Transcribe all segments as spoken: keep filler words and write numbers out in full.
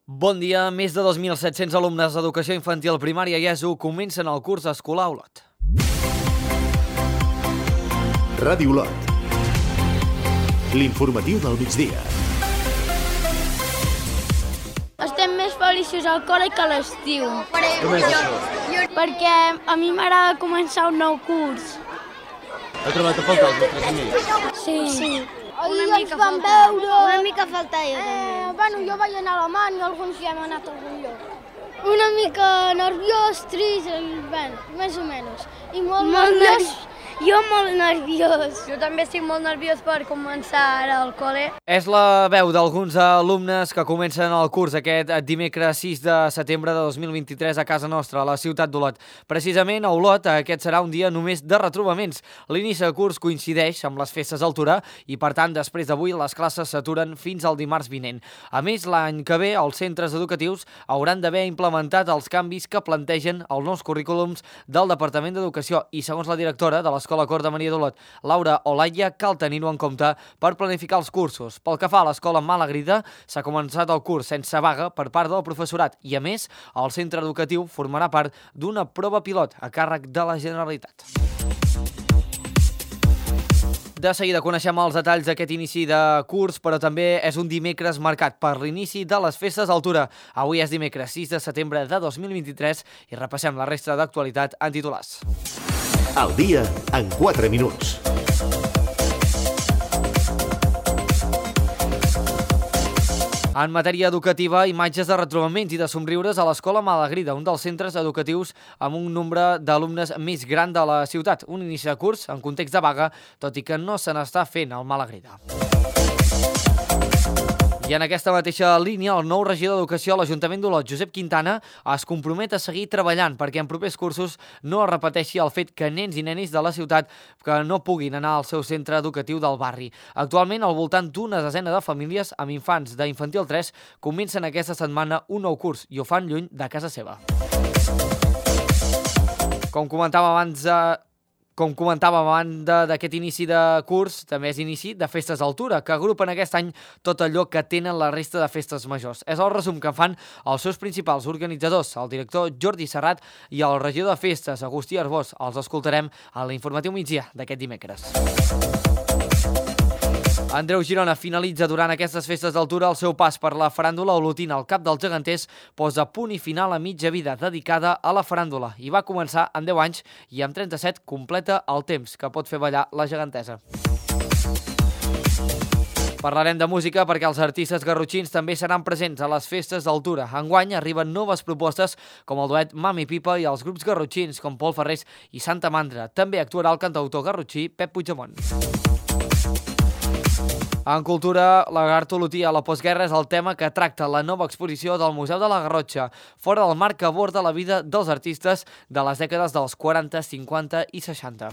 Bon dia. Més de dos mil set-cents alumnes d'educació infantil, primària i ESO comencen el curs escolar a Olot. Ràdio Olot. L'informatiu del migdia. Estem més feliços al col·le que a l'estiu. Com és això? Perquè a mi m'agrada començar un nou curs. Heu trobat a faltar els vostres amics? Sí. sí. Ahir Una ens mica vam faltar. veure... Una mica faltar jo Eh, també. bueno, jo vaig anar a Alemanya, alguns ja hem anat a algun lloc. Una mica nerviós, trist, i, bueno, més o menys. I molt, Molt nerviós. Jo molt nerviós. Jo també estic molt nerviós per començar ara al col·le. És la veu d'alguns alumnes que comencen el curs aquest dimecres sis de setembre de dos mil vint-i-tres a casa nostra, a la ciutat d'Olot. Precisament a Olot aquest serà un dia només de retrobaments. L'inici de curs coincideix amb les festes d'altura i, per tant, després d'avui les classes s'aturen fins al dimarts vinent. A més, l'any que ve els centres educatius hauran d'haver implementat els canvis que plantegen els nous currículums del Departament d'Educació i, segons la directora de l'Escola Cor de Maria d'Olot, Laura Olaia, cal tenir-ho en compte per planificar els cursos. Pel que fa a l'Escola Malagrida, s'ha començat el curs sense vaga per part del professorat i, a més, el centre educatiu formarà part d'una prova pilot a càrrec de la Generalitat. De seguida coneixem els detalls d'aquest inici de curs, però també és un dimecres marcat per l'inici de les festes d'altura. Avui és dimecres sis de setembre de dos mil vint-i-tres i repassem la resta d'actualitat en titulars. Al dia en quatre minuts. En matèria educativa, imatges de retrobaments i de somriures a l'Escola Malagrida, un dels centres educatius amb un nombre d'alumnes més gran de la ciutat. Un inici de curs en context de vaga, tot i que no se n'està fent al Malagrida. I en aquesta mateixa línia, el nou regidor d'Educació a l'Ajuntament d'Olot, Josep Quintana, es compromet a seguir treballant perquè en propers cursos no es repeteixi el fet que nens i nenis de la ciutat que no puguin anar al seu centre educatiu del barri. Actualment, al voltant d'una desena de famílies amb infants d'infantil tres comencen aquesta setmana un nou curs i ho fan lluny de casa seva. Com comentava abans... Eh... Com comentava a banda d'aquest inici de curs, també és inici de festes d'altura, que agrupen aquest any tot allò que tenen la resta de festes majors. És el resum que fan els seus principals organitzadors, el director Jordi Serrat i el regidor de festes, Agustí Arbós. Els escoltarem a l'informatiu migdia d'aquest dimecres. Andreu Girona finalitza durant aquestes festes d'altura el seu pas per la faràndula olotina. El cap dels geganters posa punt i final a mitja vida dedicada a la faràndula i va començar en deu anys i amb trenta-set completa el temps que pot fer ballar la gegantesa. Parlarem de música perquè els artistes garrotxins també seran presents a les festes d'altura. Enguany arriben noves propostes com el duet Mami Pipa i els grups garrotxins com Pol Ferrés i Santa Mandra. També actuarà el cantautor garrotxí Pep Puigdemont. En cultura, la Lagarto olotí a la postguerra és el tema que tracta la nova exposició del Museu de la Garrotxa, fora del marc que aborda la vida dels artistes de les dècades dels quaranta, cinquanta i seixanta.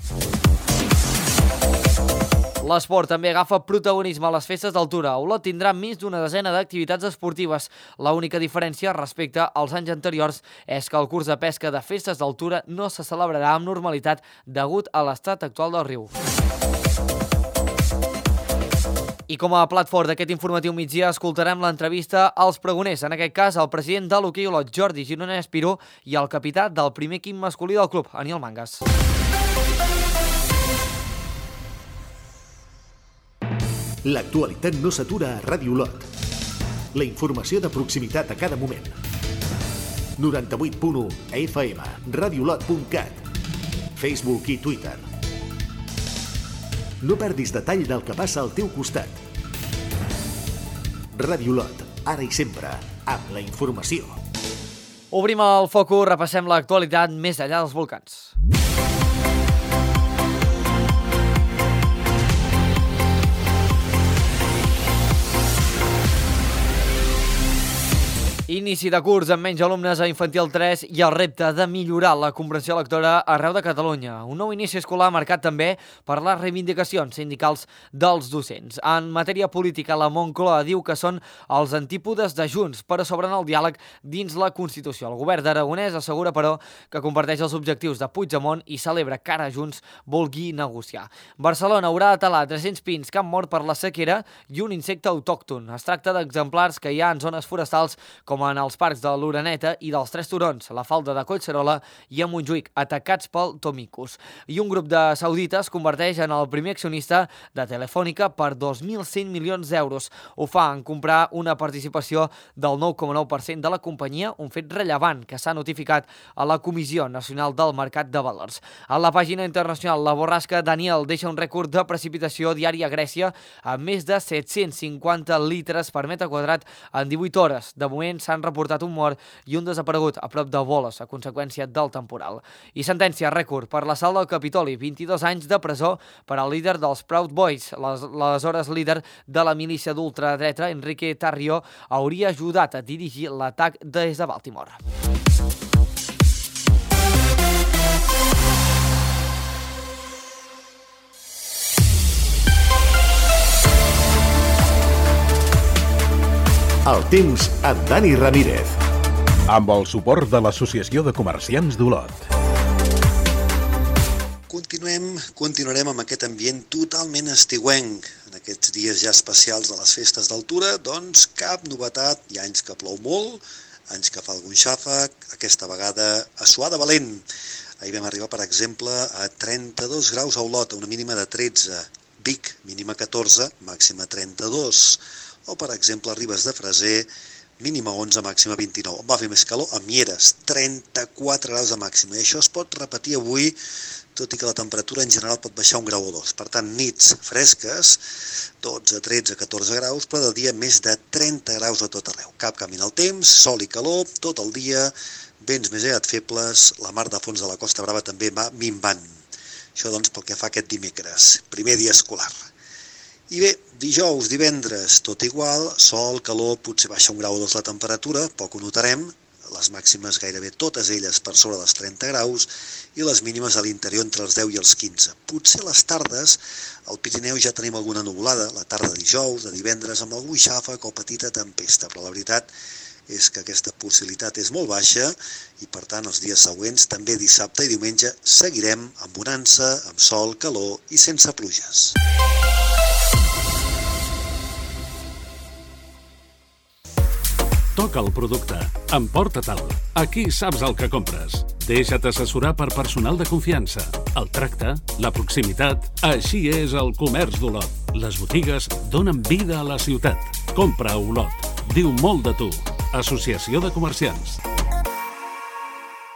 L'esport també agafa protagonisme a les festes d'altura. Olot tindrà més d'una desena d'activitats esportives. L'única diferència respecte als anys anteriors és que el curs de pesca de festes d'altura no se celebrarà amb normalitat degut a l'estat actual del riu. I com a plat fort d'aquest informatiu migdia escoltarem l'entrevista als pregoners, en aquest cas el president de l'Hoquei Olot, Jordi Gironès Espiró, i el capità del primer equip masculí del club, Aniol Mangas. L'actualitat no s'atura a Ràdio Olot. La informació de proximitat a cada moment. noranta-vuit punt u F M, radiolot punt cat, Facebook i Twitter. No perdis detall del que passa al teu costat. Ràdio Olot, ara i sempre, amb la informació. Obrim el focus, repassem l'actualitat més enllà dels volcans. Inici de curs amb menys alumnes a infantil tres i el repte de millorar la comprensió lectora arreu de Catalunya. Un nou inici escolar marcat també per les reivindicacions sindicals dels docents. En matèria política, la Moncloa diu que són els antípodes de Junts, però s'obren el diàleg dins la Constitució. El govern d'Aragonès assegura, però, que comparteix els objectius de Puigdemont i celebra que ara Junts vulgui negociar. Barcelona haurà de talar tres-cents pins que han mort per la sequera i un insecte autòcton. Es tracta d'exemplars que hi ha en zones forestals com com en els parcs de l'Oreneta i dels Tres Turons, la Falda de Collserola i a Montjuïc, atacats pel Tomicus. I un grup de saudites es converteix en el primer accionista de Telefònica per dos mil cent milions d'euros. Ho fa en comprar una participació del nou coma nou per cent de la companyia, un fet rellevant que s'ha notificat a la Comissió Nacional del Mercat de Valors. A la pàgina internacional, la borrasca Daniel deixa un rècord de precipitació diària a Grècia amb més de set-cents cinquanta litres per metre quadrat en divuit hores. De moment s'han reportat un mort i un desaparegut a prop de Voles a conseqüència del temporal. I sentència rècord per l'assalt del Capitoli, vint-i-dos anys de presó per al líder dels Proud Boys. L'aleshores líder de la milícia d'ultradreta, Enrique Tarrio, hauria ajudat a dirigir l'atac des de Baltimore. El temps amb Dani Ramírez. Amb el suport de l'Associació de Comerciants d'Olot. Continuem, continuarem amb aquest ambient totalment estiuenc. En aquests dies ja especials de les festes d'altura, doncs cap novetat. Hi ha anys que plou molt, anys que fa algun xàfec, aquesta vegada a suar de valent. Ahir vam arribar, per exemple, a trenta-dos graus a Olot, a una mínima de tretze. Vic, mínima catorze, màxima trenta-dos. O, per exemple, a Ribes de Freser, mínima onze, màxima vint-i-nou. Va fer més calor a Mieres, trenta-quatre graus de màxima. I això es pot repetir avui, tot i que la temperatura en general pot baixar un grau o dos. Per tant, nits fresques, dotze, tretze, catorze graus, però de dia més de trenta graus a tot arreu. Cap canvi en el temps, sol i calor, tot el dia, vents més aviat febles, la mar de fons de la Costa Brava també va minvant. Això, doncs, pel que fa aquest dimecres, primer dia escolar. I bé, dijous, divendres, tot igual, sol, calor, potser baixa un grau o dos la temperatura, poc ho notarem, les màximes gairebé totes elles per sobre dels trenta graus i les mínimes a l'interior entre els deu i els quinze. Potser les tardes, al Pirineu ja tenim alguna nuvolada, la tarda de dijous, de divendres, amb algun xàfec o petita tempesta, però la veritat és que aquesta possibilitat és molt baixa i, per tant, els dies següents, també dissabte i diumenge, seguirem amb bonança, amb sol, calor i sense pluges. Toca el producte. Emporta-te'l. Aquí saps el que compres. Deixa't assessorar per personal de confiança. El tracte, la proximitat... Així és el comerç d'Olot. Les botigues donen vida a la ciutat. Compra a Olot. Diu molt de tu. Associació de Comerciants.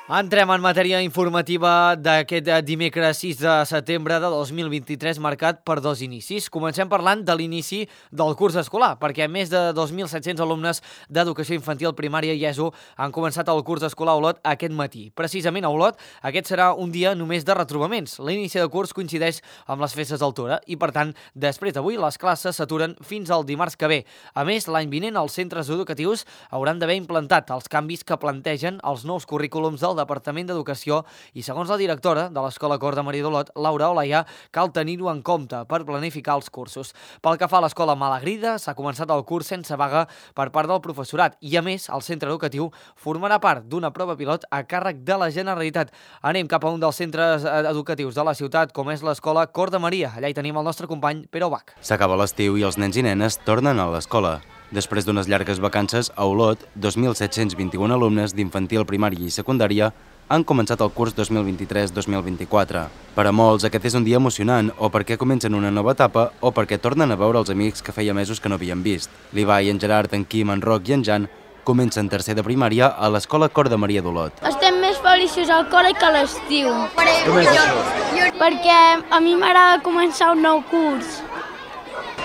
Entrem en matèria informativa d'aquest dimecres sis de setembre de dos mil vint-i-tres, marcat per dos inicis. Comencem parlant de l'inici del curs escolar, perquè més de dos mil set-cents alumnes d'educació infantil, primària i ESO han començat el curs escolar a Olot aquest matí. Precisament a Olot, aquest serà un dia només de retrobaments. L'inici de curs coincideix amb les festes d'altura i, per tant, després d'avui, les classes s'aturen fins al dimarts que ve. A més, l'any vinent, els centres educatius hauran d'haver implantat els canvis que plantegen els nous currículums del Departament d'Educació i, segons la directora de l'Escola Cor de Maria d'Olot, Laura Olaia, cal tenir-ho en compte per planificar els cursos. Pel que fa a l'Escola Malagrida, s'ha començat el curs sense vaga per part del professorat i, a més, el centre educatiu formarà part d'una prova pilot a càrrec de la Generalitat. Anem cap a un dels centres educatius de la ciutat, com és l'Escola Cor de Maria. Allà hi tenim el nostre company Pere Bach. S'acaba l'estiu i els nens i nenes tornen a l'escola. Després d'unes llargues vacances, a Olot, dos mil set-cents vint-i-un alumnes d'infantil, primària i secundària han començat el curs dos mil vint-i-tres dos mil vint-i-quatre. Per a molts, aquest és un dia emocionant, o perquè comencen una nova etapa, o perquè tornen a veure els amics que feia mesos que no havien vist. L'Ibai, en Gerard, en Quim, en Roc i en Jan comencen tercer de primària a l'Escola Cor de Maria d'Olot. Estem més feliços al col·le que a l'estiu. Com és això? Perquè a mi m'agrada començar un nou curs.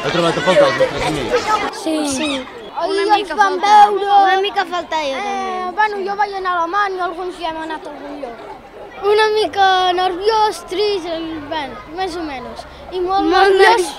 Heu trobat a faltar els vostres amics? Sí. sí. Una Ahir mica ens vam faltava. veure... Una mica faltava jo també. Eh, bueno, jo vaig anar a Alemany i alguns ja hem anat a algun lloc. Una mica nerviós, trist, bueno, més o menys. I molt, Molt nerviós.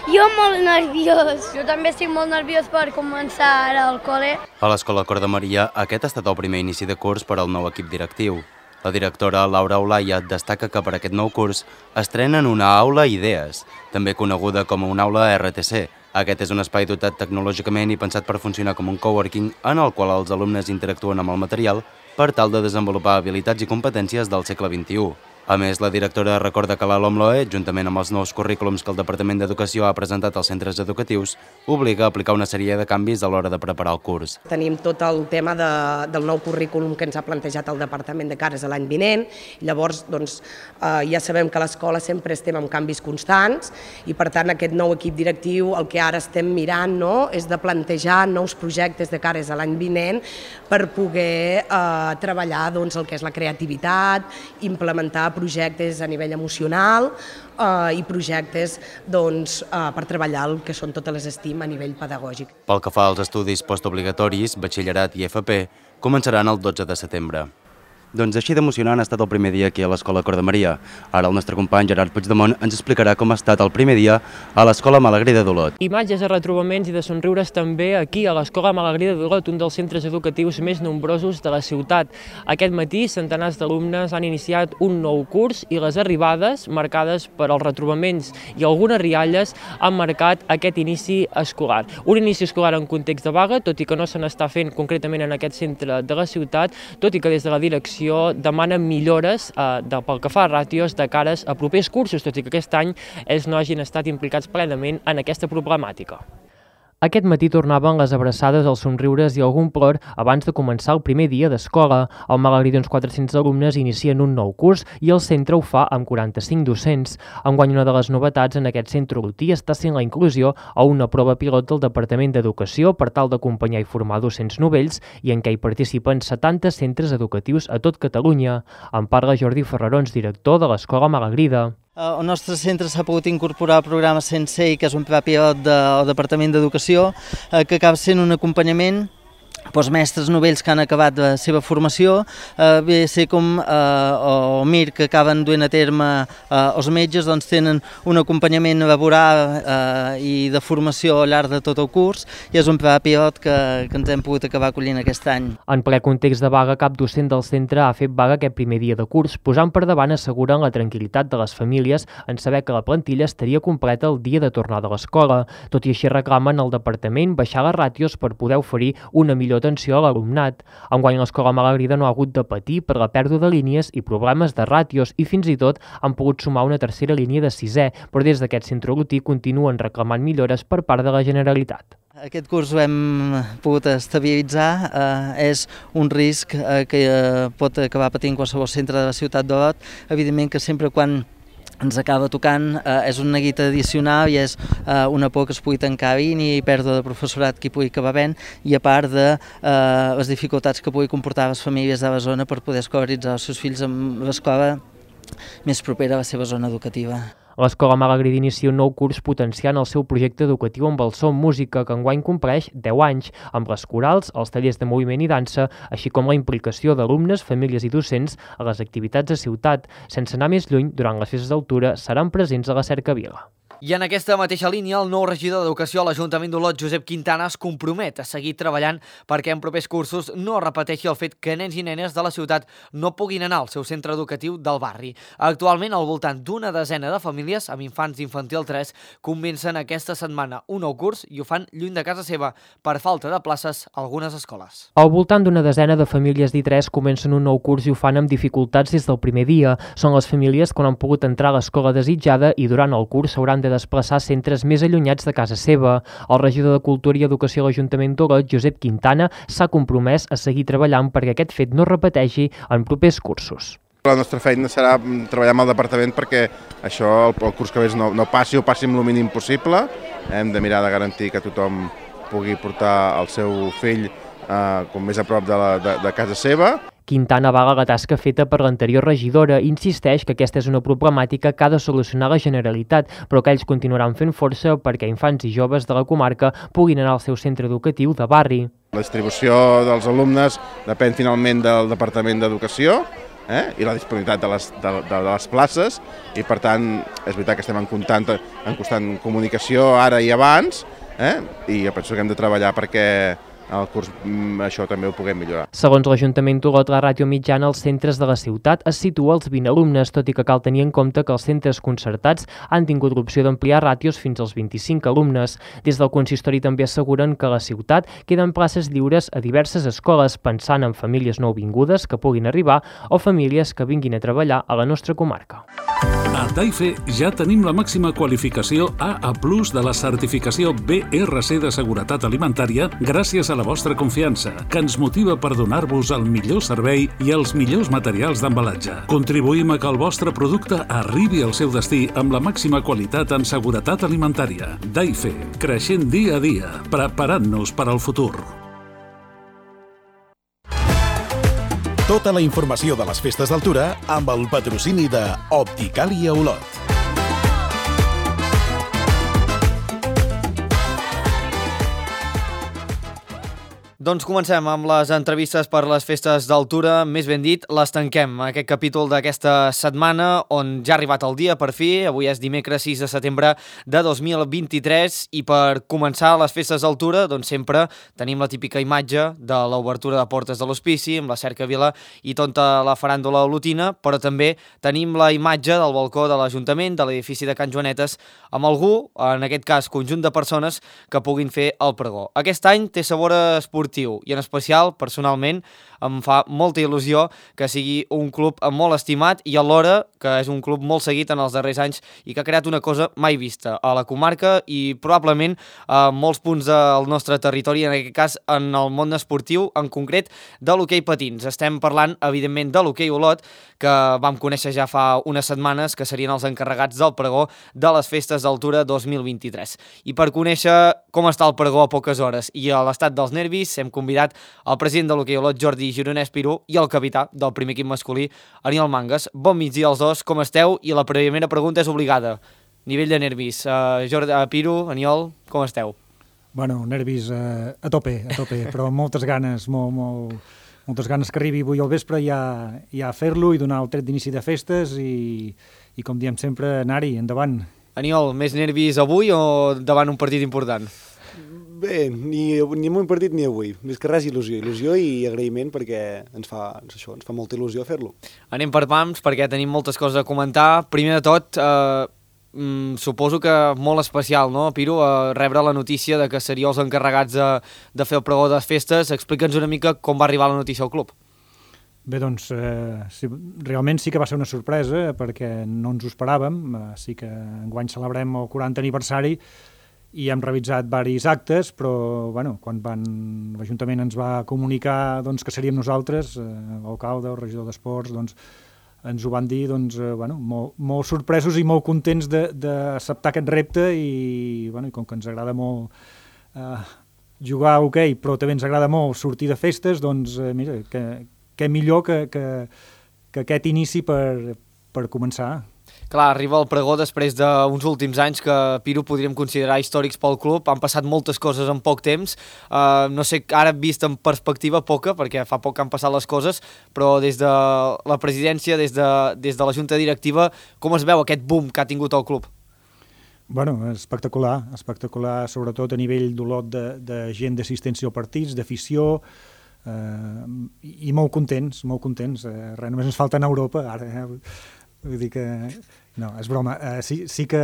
Jo molt nerviós. Jo també estic molt nerviós per començar ara al col·le. A l'Escola Cor de Maria, aquest ha estat el primer inici de curs per al nou equip directiu. La directora Laura Olaia destaca que per aquest nou curs estrenen una aula Idees, també coneguda com una aula R T C. Aquest és un espai dotat tecnològicament i pensat per funcionar com un coworking en el qual els alumnes interactuen amb el material per tal de desenvolupar habilitats i competències del segle vint-i-u. A més, la directora recorda que la LOMLOE, juntament amb els nous currículums que el Departament d'Educació ha presentat als centres educatius, obliga a aplicar una sèrie de canvis a l'hora de preparar el curs. Tenim tot el tema de, del nou currículum que ens ha plantejat el Departament de cares a l'any vinent. Llavors, doncs, eh, ja sabem que a l'escola sempre estem amb canvis constants i, per tant, aquest nou equip directiu el que ara estem mirant, no?, és de plantejar nous projectes de cares a l'any vinent per poder eh, treballar doncs, el que és la creativitat, implementar projectes a nivell emocional eh, i projectes doncs, eh, per treballar el que són totes les estim a nivell pedagògic. Pel que fa als estudis postobligatoris, batxillerat i F P, començaran el dotze de setembre. Doncs així d'emocionant ha estat el primer dia aquí a l'Escola Cor de Maria. Ara el nostre company Gerard Puigdemont ens explicarà com ha estat el primer dia a l'Escola Malagrida d'Olot. Imatges de retrobaments i de somriures també aquí a l'Escola Malagrida d'Olot, un dels centres educatius més nombrosos de la ciutat. Aquest matí centenars d'alumnes han iniciat un nou curs i les arribades, marcades per als retrobaments i algunes rialles, han marcat aquest inici escolar. Un inici escolar en context de vaga, tot i que no se n'està fent concretament en aquest centre de la ciutat, tot i que des de la direcció demanen millores eh, de, pel que fa a ràtios de cares a propers cursos, tot i que aquest any ells no hagin estat implicats plenament en aquesta problemàtica. Aquest matí tornaven les abraçades, els somriures i algun plor abans de començar el primer dia d'escola. Al Malagrida uns quatre-cents alumnes inicien un nou curs i el centre ho fa amb quaranta-cinc docents. Enguany una de les novetats en aquest centre olotí està sent la inclusió a una prova pilot del Departament d'Educació per tal d'acompanyar i formar docents novells i en què hi participen setanta centres educatius a tot Catalunya. En parla Jordi Ferrarons, director de l'Escola Malagrida. El nostre centre s'ha pogut incorporar al programa Sensei, que és un pla pilot del Departament d'Educació, que acaba sent un acompanyament pels mestres novells que han acabat la seva formació, eh, bé ser com eh, o M I R que acaben duent a terme eh, els metges, doncs tenen un acompanyament laboral eh, i de formació al llarg de tot el curs i és un pla pilot que, que ens hem pogut acabar acollint aquest any. En ple context de vaga, cap docent del centre ha fet vaga aquest primer dia de curs, posant per davant asseguren la tranquil·litat de les famílies en saber que la plantilla estaria completa el dia de tornada a l'escola. Tot i així reclamen al departament baixar les ràtios per poder oferir una millor atenció a l'alumnat. Enguany l'Escola Malagrida no ha hagut de patir per la pèrdua de línies i problemes de ràtios i fins i tot han pogut sumar una tercera línia de sisè, però des d'aquest centre olotí continuen reclamant millores per part de la Generalitat. Aquest curs ho hem pogut estabilitzar, eh, és un risc eh, que eh, pot acabar patint qualsevol centre de la ciutat d'Olot, evidentment que sempre quan ens acaba tocant, eh, és una neguita addicional i és eh, una por que es pugui tancar línia i pèrdua de professorat que hi pugui acabar havent i a part de eh, les dificultats que pugui comportar les famílies de la zona per poder escolaritzar els seus fills en l'escola més propera a la seva zona educativa. L'Escola Malagrida inicia un nou curs potenciant el seu projecte educatiu amb el so música, que enguany compleix deu anys, amb les corals, els tallers de moviment i dansa, així com la implicació d'alumnes, famílies i docents a les activitats de ciutat. Sense anar més lluny, durant les festes d'altura seran presents a la Cercavila. I en aquesta mateixa línia, el nou regidor d'Educació a l'Ajuntament d'Olot, Josep Quintana, es compromet a seguir treballant perquè en propers cursos no es repeteixi el fet que nens i nenes de la ciutat no puguin anar al seu centre educatiu del barri. Actualment, al voltant d'una desena de famílies amb infants d'infantil tres comencen aquesta setmana un nou curs i ho fan lluny de casa seva per falta de places a algunes escoles. Al voltant d'una desena de famílies d'I tres comencen un nou curs i ho fan amb dificultats des del primer dia. Són les famílies que no han pogut entrar a l'escola desitjada i durant el curs s'hauran de desplaçar a centres més allunyats de casa seva. El regidor de Cultura i Educació a l'Ajuntament d'Olot, Josep Quintana, s'ha compromès a seguir treballant perquè aquest fet no es repeteixi en propers cursos. La nostra feina serà treballar amb el departament perquè això, el, el curs que ve no, no passi o passi amb el mínim possible. Hem de mirar de garantir que tothom pugui portar el seu fill eh, com més a prop de, la, de, de casa seva. Quintana avala la tasca feta per l'anterior regidora i insisteix que aquesta és una problemàtica que ha de solucionar la Generalitat, però que ells continuaran fent força perquè infants i joves de la comarca puguin anar al seu centre educatiu de barri. La distribució dels alumnes depèn finalment del Departament d'Educació eh? i la disponibilitat de les, de, de les places i per tant és veritat que estem en constant, en constant comunicació ara i abans eh? i jo penso que hem de treballar perquè el curs això també ho puguem millorar. Segons l'Ajuntament d'Olot, la ràtio mitjana als centres de la ciutat es situa als vint alumnes, tot i que cal tenir en compte que els centres concertats han tingut l'opció d'ampliar ràtios fins als vint-i-cinc alumnes. Des del consistori també asseguren que a la ciutat queden places lliures a diverses escoles, pensant en famílies nouvingudes que puguin arribar o famílies que vinguin a treballar a la nostra comarca. A Taife ja tenim la màxima qualificació A A plus de la certificació B R C de seguretat alimentària gràcies a la vostra confiança, que ens motiva per donar-vos el millor servei i els millors materials d'embalatge. Contribuïm a que el vostre producte arribi al seu destí amb la màxima qualitat en seguretat alimentària. Taife, creixent dia a dia, preparant-nos per al futur. Tota la informació de les festes d'altura amb el patrocini de Opticàlia Olot. Doncs comencem amb les entrevistes per les festes d'altura, més ben dit, les tanquem. Aquest capítol d'aquesta setmana on ja ha arribat el dia, per fi, avui és dimecres sis de setembre de dos mil vint-i-tres i per començar les festes d'altura, doncs sempre tenim la típica imatge de l'obertura de portes de l'hospici amb la cercavila i tota la faràndula olotina, però també tenim la imatge del balcó de l'Ajuntament, de l'edifici de Can Joanetes, amb algú, en aquest cas conjunt de persones, que puguin fer el pregó. Aquest any té sabor esportiu i en especial, personalment, em fa molta il·lusió que sigui un club molt estimat i alhora que és un club molt seguit en els darrers anys i que ha creat una cosa mai vista a la comarca i probablement a molts punts del nostre territori, en aquest cas en el món esportiu, en concret de l'hoquei patins. Estem parlant, evidentment, de l'hoquei Olot, que vam conèixer ja fa unes setmanes, que serien els encarregats del pregó de les festes d'altura dos mil vint-i-tres. I per conèixer com està el pregó a poques hores i a l'estat dels nervis, hem convidat el president de l'hoquei Olot, Jordi Gironès Pirú, i el capità del primer equip masculí, Aniol Mangas. Bon migdia als dos, com esteu? I la primera pregunta és obligada. Nivell de nervis. Uh, Jordi, uh, Pirú, Aniol, com esteu? Bueno, nervis uh, a tope, a tope, però moltes ganes, molt, molt, moltes ganes que arribi avui al vespre ja, ja a fer-lo i donar el tret d'inici de festes i, i com diem sempre, anar-hi, endavant. Aniol, més nervis avui o davant un partit important? Bé, ni, ni en un partit ni avui. Més que res il·lusió. Il·lusió i agraïment perquè ens fa, això, ens fa molta il·lusió fer-lo. Anem per pams perquè tenim moltes coses a comentar. Primer de tot, eh, mm, suposo que molt especial, no, Piru, eh, rebre la notícia de que seríeu els encarregats de, de fer el pregó de festes. Explica'ns una mica com va arribar la notícia al club. Bé, doncs, eh, sí, realment sí que va ser una sorpresa perquè no ens ho esperàvem. Eh, sí que enguany celebrem el quaranta aniversari i hem revisat diversos actes, però bueno, quan van, l'Ajuntament ens va comunicar doncs, que seríem nosaltres, eh, l'alcalde, el regidor d'Esports, doncs, ens ho van dir doncs, eh, bueno, molt, molt sorpresos i molt contents d'acceptar aquest repte i, bueno, i com que ens agrada molt eh, jugar a hoquei, però també ens agrada molt sortir de festes, doncs eh, mira, que, que millor que, que, que aquest inici per, per començar. Clar, arriba el pregó després d'uns últims anys que, Piru, podríem considerar històrics pel club. Han passat moltes coses en poc temps. Uh, no sé, ara vist en perspectiva poca, perquè fa poc que han passat les coses, però des de la presidència, des de, des de la junta directiva, com es veu aquest boom que ha tingut el club? Bueno, espectacular, espectacular, sobretot a nivell d'Olot de, de gent d'assistència als partits, d'afició, eh, i molt contents, molt contents. Eh, res, només ens falta anar a Europa, ara, eh? Vull dir que... No, és broma. Uh, sí, sí que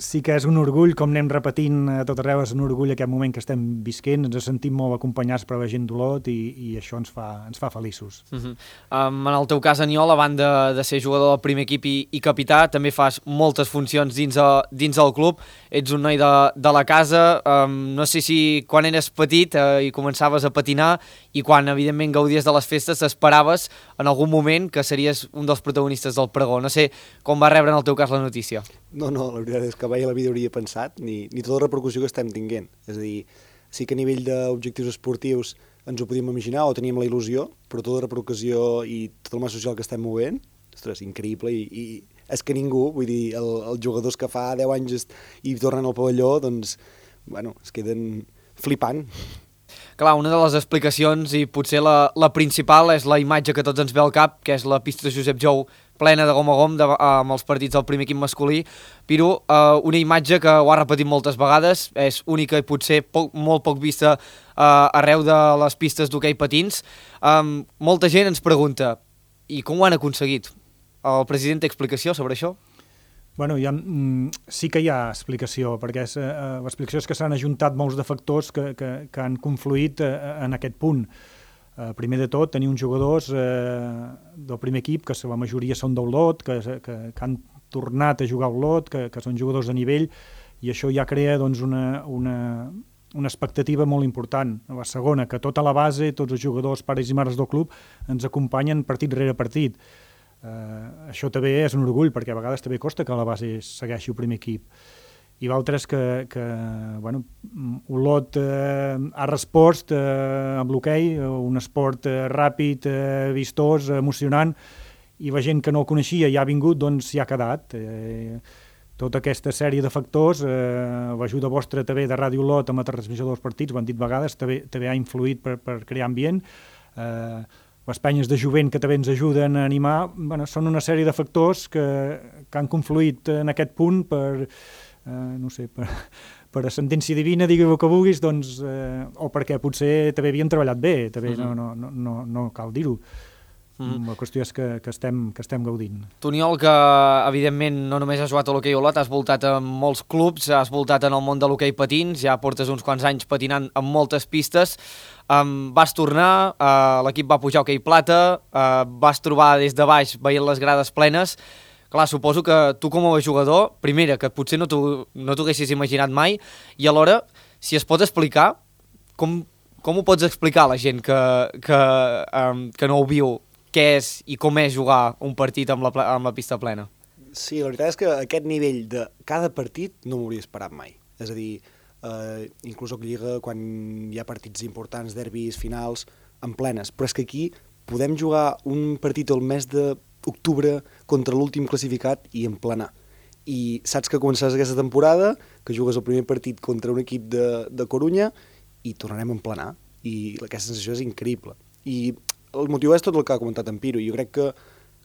sí que és un orgull, com anem repetint a tot arreu, és un orgull aquest moment que estem visquent, ens sentim molt acompanyats per la gent d'Olot i, i això ens fa, ens fa feliços. Uh-huh. um, en el teu cas, Aniol, a banda de ser jugador del primer equip i, i capità, també fas moltes funcions dins, a, dins del club, ets un noi de, de la casa, um, no sé si quan eres petit uh, i començaves a patinar i quan, evidentment, gaudies de les festes, t'esperaves en algun moment que series un dels protagonistes del pregó. No sé com va rebre en el teu cas la notícia. No, no, la veritat és que mai a la vida hauria pensat, ni, ni tota la repercussió que estem tinguent. És a dir, sí que a nivell d'objectius esportius ens ho podíem imaginar o teníem la il·lusió, però tota la repercussió i tot el mas social que estem movent, ostres, increïble, i, i és que ningú, vull dir, el, els jugadors que fa deu anys i tornen al pavelló, doncs, bueno, es queden flipant. Clar, una de les explicacions, i potser la, la principal, és la imatge que tots ens ve al cap, que és la pista Josep Jou plena de gom a gom de, amb els partits del primer equip masculí. Piru, uh, una imatge que ho ha repetit moltes vegades, és única i potser poc, molt poc vista uh, arreu de les pistes d'hoquei patins. Um, molta gent ens pregunta, i com ho han aconseguit? El president té explicació sobre això? Bueno, ha, sí que hi ha explicació, perquè és, eh, l'explicació és que s'han ajuntat molts de factors que, que, que han confluït eh, en aquest punt. Eh, primer de tot, tenir uns jugadors eh, del primer equip, que la majoria són d'Olot, que, que, que han tornat a jugar a Olot, que, que són jugadors de nivell, i això ja crea doncs, una, una, una expectativa molt important. La segona, que tota la base, tots els jugadors, pares i mares del club, ens acompanyen partit rere partit. Uh, això també és un orgull, perquè a vegades també costa que la base segueixi el primer equip. I l'altre és que, que bueno, Olot eh, ha respost eh, amb l'hoquei, un esport eh, ràpid, eh, vistós, emocionant, i la gent que no el coneixia i ha vingut, doncs s'hi ha quedat. Eh, tota aquesta sèrie de factors, eh, l'ajuda vostra també de Ràdio Olot amb la transmissió dels partits, ho han dit vegades, també, també ha influït per, per crear ambient. Eh, les penyes de jovent que també ens ajuden a animar, bueno, són una sèrie de factors que, que han confluït en aquest punt per, eh, no sé, per, per a sentència divina, digueu el que vulguis, doncs, eh, o perquè potser també havien treballat bé, també uh-huh. no, no, no, no cal dir-ho. Mm. La qüestió és que, que, estem, que estem gaudint. Tu, Aniol, que evidentment no només has jugat a l'hoquei Olot, has voltat en molts clubs, has voltat en el món de l'hoquei patins, ja portes uns quants anys patinant en moltes pistes, um, vas tornar, uh, l'equip va pujar a hoquei plata, uh, vas trobar des de baix veient les grades plenes. Clar, suposo que tu com a jugador, primera, que potser no t'ho no t'ho haguessis imaginat mai, i alhora, si es pot explicar, com, com ho pots explicar a la gent que, que, um, que no ho viu, què és i com és jugar un partit amb la, amb la pista plena? Sí, la veritat és que aquest nivell de cada partit no m'hauria esperat mai. És a dir, eh, inclús a Lliga, quan hi ha partits importants, derbis, finals, en plenes. Però és que aquí podem jugar un partit el mes d'octubre contra l'últim classificat i en plenar. I saps que començaràs aquesta temporada, que jugues el primer partit contra un equip de, de Corunya i tornarem a emplenar. I aquesta sensació és increïble. I el motiu és tot el que ha comentat en Piro, i jo crec que,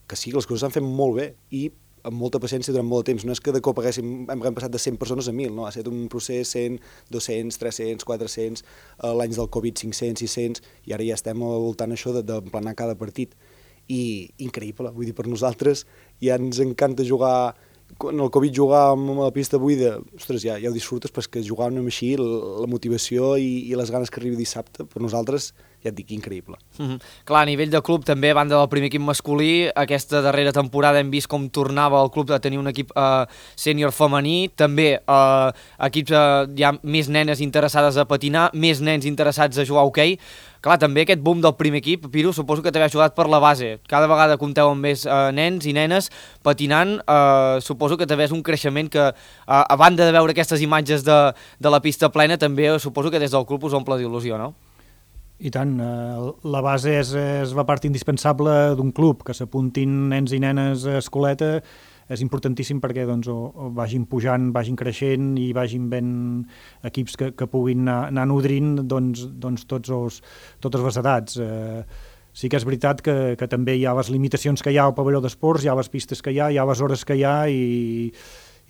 que sí, que les coses s'han fet molt bé i amb molta paciència durant molt de temps. No és que de cop haguéssim, hem passat de cent persones a mil, no? Ha estat un procés cent, dos-cents, tres-cents, quatre-cents, eh, l'any del Covid cinc-cents, sis-cents, i ara ja estem al voltant això d'emplenar cada partit. I increïble, vull dir, per nosaltres ja ens encanta jugar. Quan el Covid jugàvem a la pista buida, ostres, ja, ja ho disfrutes, però és que jugàvem així, la, la motivació i, i les ganes que arribi dissabte, per nosaltres, ja et dic, increïble. Mm-hmm. Clar, a nivell de club, també, a banda del primer equip masculí, aquesta darrera temporada hem vist com tornava el club a tenir un equip eh, sènior femení, també eh, equips, eh, hi ha més nenes interessades a patinar, més nens interessats a jugar a hoquei. Clar, també aquest boom del primer equip, Piru, suposo que també ha ajudat per la base. Cada vegada compteu amb més eh, nens i nenes patinant, eh, suposo que també és un creixement que, eh, a banda de veure aquestes imatges de, de la pista plena, també suposo que des del club us omple d'il·lusió, no? I tant, eh, la base és, és la part indispensable d'un club, que s'apuntin nens i nenes a escoleta és importantíssim perquè doncs, o, o vagin pujant, vagin creixent i vagin ben equips que, que puguin anar, anar nodrint doncs, doncs tots els, totes les edats. Eh, sí que és veritat que, que també hi ha les limitacions que hi ha al pavelló d'esports, hi ha les pistes que hi ha, hi ha les hores que hi ha i,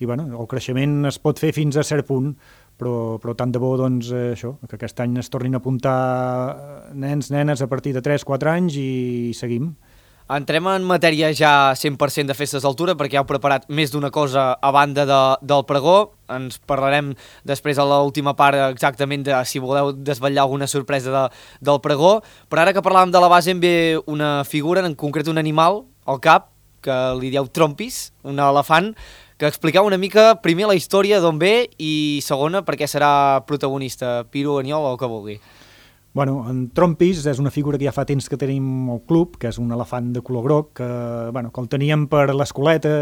i bueno, el creixement es pot fer fins a cert punt, però, però tant de bo doncs, eh, això, que aquest any es tornin a apuntar nens, nenes a partir de tres quatre anys i seguim. Entrem en matèria ja cent per cent de festes d'altura perquè heu preparat més d'una cosa a banda de, del pregó. Ens parlarem després a l'última part exactament de si voleu desvetllar alguna sorpresa de, del pregó. Però ara que parlàvem de la base em ve una figura, en concret un animal, al cap, que li dieu trompis, un elefant, que expliqueu una mica primer la història d'on ve i segona per què serà protagonista. Piru, Aniol o el que vulgui. Bueno, en Trompis és una figura que ja fa temps que tenim al club, que és un elefant de color groc, que, bueno, que el teníem per l'escoleta,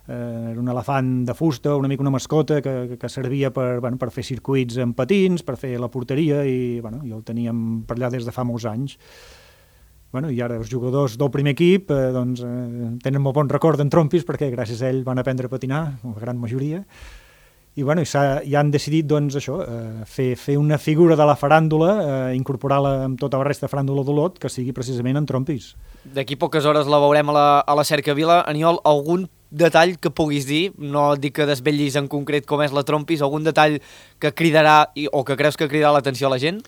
eh, era un elefant de fusta, una mica una mascota, que, que servia per, bueno, per fer circuits en patins, per fer la porteria, i, bueno, i el teníem per allà des de fa molts anys. Bueno, i ara els jugadors del primer equip eh, doncs, eh, tenen molt bon record d'en Trompis, perquè gràcies a ell van aprendre a patinar, la gran majoria. i, bueno, i, i han decidit doncs, això, eh, fer, fer una figura de la faràndula, eh, incorporar-la amb tota la resta de faràndula d'Olot, que sigui precisament en trompis. D'aquí poques hores la veurem a la, a la Cercavila. Aniol, algun detall que puguis dir, no dic que desvetllis en concret com és la trompis, algun detall que cridarà o que creus que cridarà l'atenció a la gent?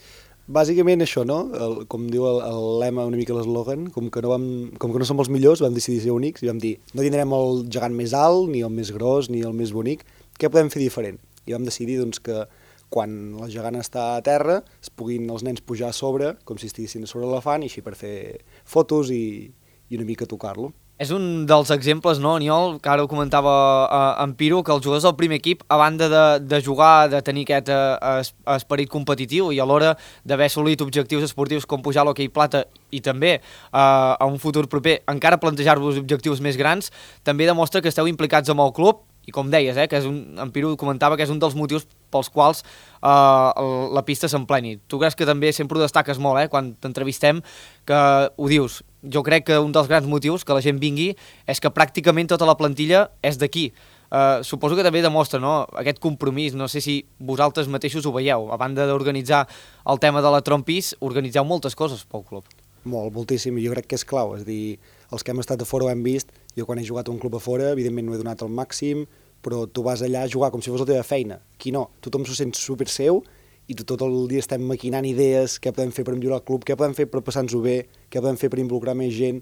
Bàsicament això, no? El, com diu el, el lema, una mica l'eslògan, com, que no vam, com que no som els millors, vam decidir ser únics i vam dir, no tindrem el gegant més alt, ni el més gros, ni el més bonic, què podem fer diferent? I vam decidir doncs, que quan el gegant està a terra es puguin els nens pujar a sobre, com si estiguessin a sobre l'elefant, i així per fer fotos i, i una mica tocar-lo. És un dels exemples, no, Aniol, que ara ho comentava eh, en Piro, que els jugadors del primer equip, a banda de, de jugar, de tenir aquest eh, esperit competitiu i alhora d'haver assolit objectius esportius com pujar a l'hoquei plata i també eh, a un futur proper encara plantejar-vos objectius més grans, també demostra que esteu implicats amb el club i com deies, eh, que és un, en Piro comentava que és un dels motius pels quals eh, la pista s'empleni. Tu creus que també sempre ho destaques molt, eh, quan t'entrevistem, que ho dius. Jo crec que un dels grans motius que la gent vingui és que pràcticament tota la plantilla és d'aquí. Uh, suposo que també demostra, no?, aquest compromís. No sé si vosaltres mateixos ho veieu. A banda d'organitzar el tema de la trompis, organitzeu moltes coses pel club. Molt, moltíssim. Jo crec que és clau. És a dir, els que hem estat a fora ho hem vist. Jo quan he jugat a un club a fora, evidentment no he donat el màxim, però tu vas allà a jugar com si fos la teva feina. Aquí no. Tothom s'ho sent super seu i tot el dia estem maquinant idees, què podem fer per millorar el club, què podem fer per passar-nos-ho bé, què podem fer per involucrar més gent,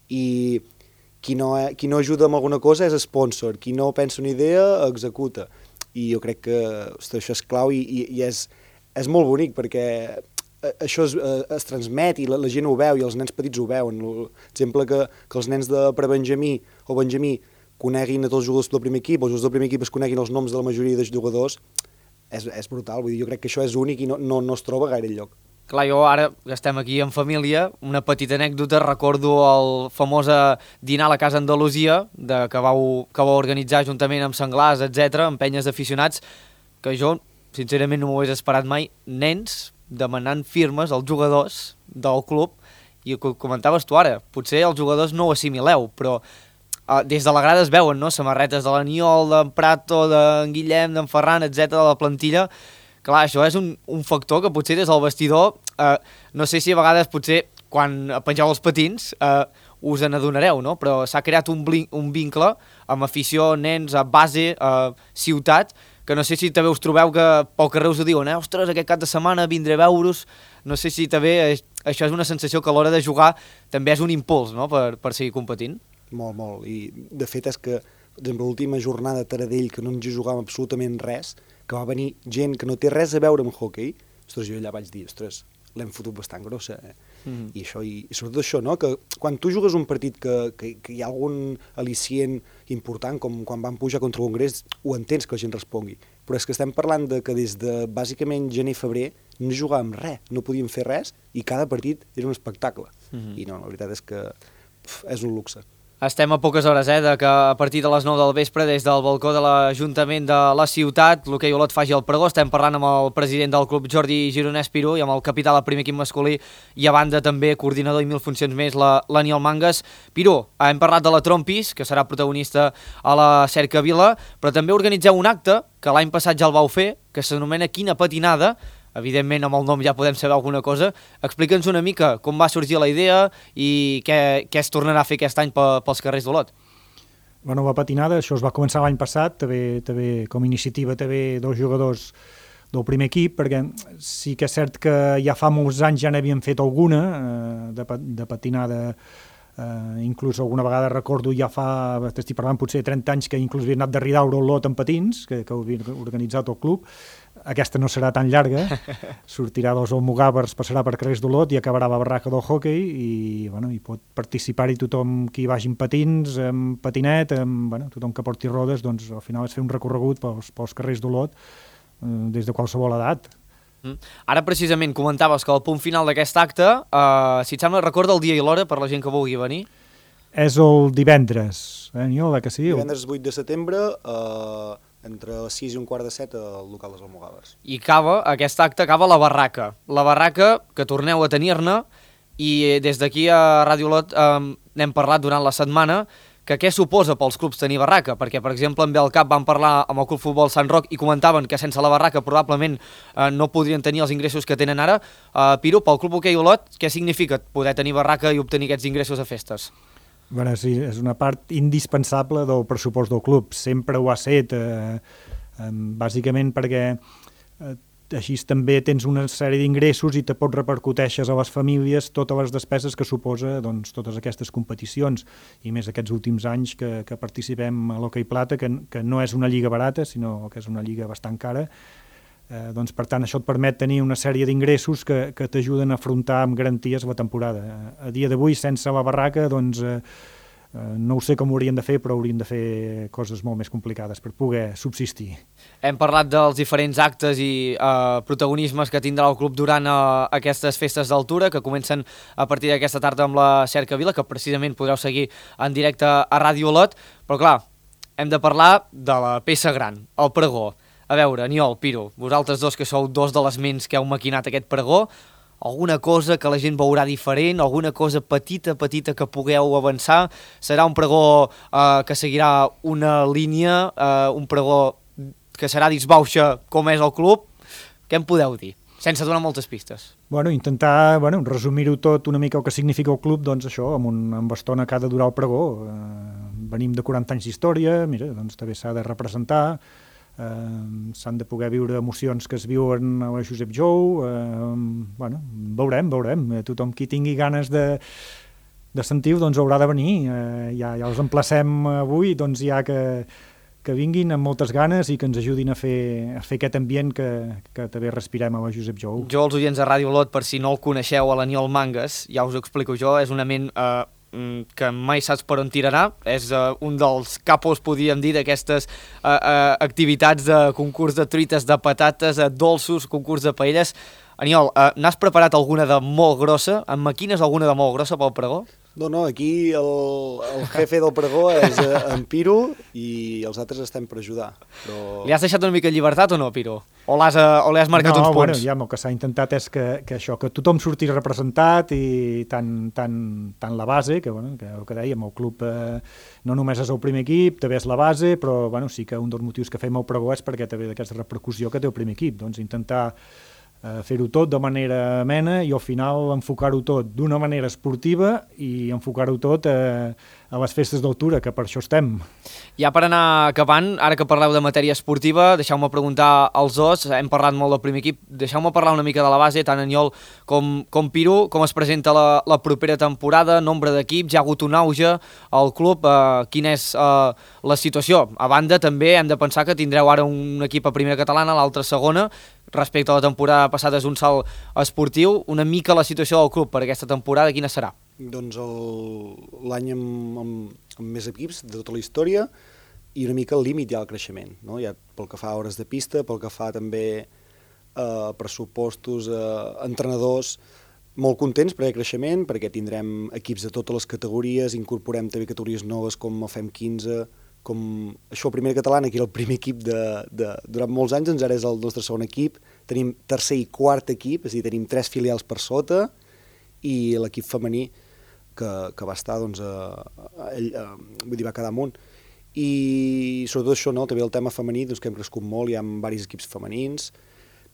i qui no, qui no ajuda amb alguna cosa és sponsor, qui no pensa una idea executa, i jo crec que ostres, això és clau i, i, i és, és molt bonic perquè això es, es transmet i la, la gent ho veu i els nens petits ho veuen. L'exemple que, que els nens de prebenjamí o benjamí coneguin a tots els jugadors del primer equip, o els jugadors del primer equip es coneguin els noms de la majoria de jugadors, És, és brutal, vull dir, jo crec que això és únic i no, no, no es troba gaire enlloc. Clar, jo ara que estem aquí en família, una petita anècdota, recordo el famós dinar a la Casa Andalusia de, que, vau, que vau organitzar juntament amb senglars, etcètera, amb penyes d'aficionats, que jo, sincerament, no m'ho hagués esperat mai, nens demanant firmes als jugadors del club, i ho comentaves tu ara, potser els jugadors no ho assimileu, però Uh, des de la grada es veuen, no?, samarretes de l'Aniol, d'en Prato, d'en Guillem, d'en Ferran, etcètera, de la plantilla. Clar, això és un, un factor que potser des del vestidor, uh, no sé si a vegades potser quan pengeu els patins uh, us n'adonareu, no?, però s'ha creat un, un vincle amb afició, nens, a base, uh, ciutat, que no sé si també us trobeu que pel carrer us ho diuen, eh? Ostres, aquest cap de setmana vindré a veure-us. No sé si també això és una sensació que a l'hora de jugar també és un impuls, no?, per, per seguir competint. Molt, molt. I de fet és que, per exemple, l'última jornada a Taradell, que no ens jugàvem absolutament res, que va venir gent que no té res a veure amb hoquei, ostres, jo allà vaig dir, ostres, l'hem fotut bastant grossa, eh? Mm-hmm. I això, i, i sobretot això, no?, que quan tu jugues un partit que, que, que hi ha algun al·licient important, com quan van pujar contra el Congrés, ho entens que la gent respongui. Però és que estem parlant de que des de, bàsicament, gener-febrer, no jugàvem res, no podíem fer res, i cada partit era un espectacle. Mm-hmm. I no, la veritat és que pf, és un luxe. Estem a poques hores, eh, de que a partir de les nou del vespre, des del balcó de l'Ajuntament de la ciutat, l'hoquei Olot faci el pregó. Estem parlant amb el president del club, Jordi Gironès Piró, i amb el capità del primer equip masculí, i a banda també coordinador i mil funcions més, l'Aniol Mangas. Piró, hem parlat de la Trompis, que serà protagonista a la Cercavila, però també organitzeu un acte, que l'any passat ja el vau fer, que s'anomena Quina patinada. Evidentment, amb el nom ja podem saber alguna cosa. Explica'ns una mica com va sorgir la idea i què, què es tornarà a fer aquest any pels carrers d'Olot. Bueno, la patinada, això es va començar l'any passat, també, també com a iniciativa també dos jugadors del primer equip, perquè sí que és cert que ja fa molts anys ja n'havíem fet alguna eh, de, de patinada, eh, inclús alguna vegada recordo ja fa, estic parlant potser trenta anys, que inclús havia anat de Ridaura a Olot en patins, que, que ho havia organitzat el club. Aquesta no serà tan llarga, sortirà dels Almogàvers, passarà per carrers d'Olot i acabarà a la barraca del hoquei i, bueno, i pot participar-hi tothom qui vagi en patins, en patinet, en, bueno, tothom que porti rodes, doncs al final és fer un recorregut pels, pels carrers d'Olot eh, des de qualsevol edat. Mm. Ara precisament comentaves que el punt final d'aquest acte, eh, si et sembla, recorda el dia i l'hora per la gent que vulgui venir? És el divendres, eh, Aniol, que sí? Divendres vuit de setembre, eh... entre les sis i un quart de set al local dels Almogàvers. I acaba, aquest acte acaba a la barraca. La barraca, que torneu a tenir-ne, i des d'aquí a Ràdio Olot eh, n'hem parlat durant la setmana, que què suposa pels clubs tenir barraca, perquè, per exemple, en Belcap van parlar amb el Club Futbol Sant Roc i comentaven que sense la barraca probablement eh, no podrien tenir els ingressos que tenen ara. Eh, Piru, pel Club Hoquei Olot, què significa poder tenir barraca i obtenir aquests ingressos a festes? Bueno, sí, és una part indispensable del pressupost del club, sempre ho ha set, eh, eh, bàsicament perquè eh, així també tens una sèrie d'ingressos i te pots repercuteixes a les famílies totes les despeses que suposa doncs, totes aquestes competicions, i més aquests últims anys que, que participem a l'Hoquei Plata, que, que no és una lliga barata, sinó que és una lliga bastant cara. Eh, doncs, per tant, això et permet tenir una sèrie d'ingressos que, que t'ajuden a afrontar amb garanties la temporada. A dia d'avui, sense la barraca, doncs, eh, no ho sé com ho haurien de fer, però haurien de fer coses molt més complicades per poder subsistir. Hem parlat dels diferents actes i eh, protagonismes que tindrà el club durant eh, aquestes festes d'altura, que comencen a partir d'aquesta tarda amb la Cercavila, que precisament podreu seguir en directe a Ràdio Olot, però clar, hem de parlar de la peça gran, el pregó. A veure, Aniol, Piru, vosaltres dos que sou dos de les ments que heu maquinat aquest pregó, alguna cosa que la gent veurà diferent, alguna cosa petita, petita que pugueu avançar? Serà un pregó eh, que seguirà una línia, eh, un pregó que serà disbauxa com és el club? Què em podeu dir? Sense donar moltes pistes. Bueno, intentar bueno, resumir-ho tot una mica el que significa el club, doncs això, amb, un, amb estona que ha de durar el pregó. Eh, venim de quaranta anys d'història, mira, doncs també s'ha de representar, Uh, s'han de poder viure emocions que es viuen a la Josep Jou, uh, bueno, veurem, veurem, tothom qui tingui ganes de, de sentir-ho doncs haurà de venir, uh, ja, ja els emplacem avui, doncs ja que, que vinguin amb moltes ganes i que ens ajudin a fer, a fer aquest ambient que, que també respirem a la Josep Jou. Jo, els oients de Ràdio Olot, per si no el coneixeu, a l'Aniol Mangas, ja us ho explico jo, és una ment uh, que mai saps per on tirarà, és uh, un dels capos, podríem dir, d'aquestes uh, uh, activitats de concurs de truites, de patates, uh, dolços, concurs de paelles. Aniol, uh, n'has preparat alguna de molt grossa? Em maquines alguna de molt grossa pel pregó? No, no, aquí el, el jefe del pregó és en Piru i els altres estem per ajudar. Però... Li has deixat una mica de llibertat o no, Piru? O l'has o l'has marcat no, uns punts? No, bueno, ja el que s'ha intentat és que, que això, que tothom surti representat i tant, tant, tant la base, que, bueno, que el que dèiem, el club eh, no només és el primer equip, també és la base, però bueno, sí que un dels motius que fem el pregó és perquè també d'aquesta repercussió que té el primer equip, doncs intentar fer-ho tot de manera amena i al final enfocar-ho tot d'una manera esportiva i enfocar-ho tot a, a les festes d'altura, que per això estem. Ja per anar acabant, ara que parleu de matèria esportiva, deixeu-me preguntar als dos, hem parlat molt del primer equip, deixeu-me parlar una mica de la base, tant Aniol com, com Piru, com es presenta la, la propera temporada, nombre d'equips, hi ha hagut un auge al club, eh, quina és eh, la situació? A banda, també hem de pensar que tindreu ara un equip a primera catalana, l'altre a segona, respecte a la temporada passada és un salt esportiu, una mica la situació del club per aquesta temporada, quina serà? Doncs l'any amb, amb, amb més equips de tota la història i una mica el límit ja al creixement, no? Ja pel que fa a hores de pista, pel que fa també a eh, pressupostos, eh, entrenadors, molt contents per aquest creixement, perquè tindrem equips de totes les categories, incorporem també categories noves com el F E M quinze, com això el primer català, que era el primer equip de, de, durant molts anys, doncs ara és el nostre segon equip, tenim tercer i quart equip, és a dir, tenim tres filials per sota, i l'equip femení que, que va estar, doncs, a, a, a, vull dir, va quedar amunt. I sobretot això, no? També el tema femení, doncs, que hem crescut molt, hi ha diversos equips femenins,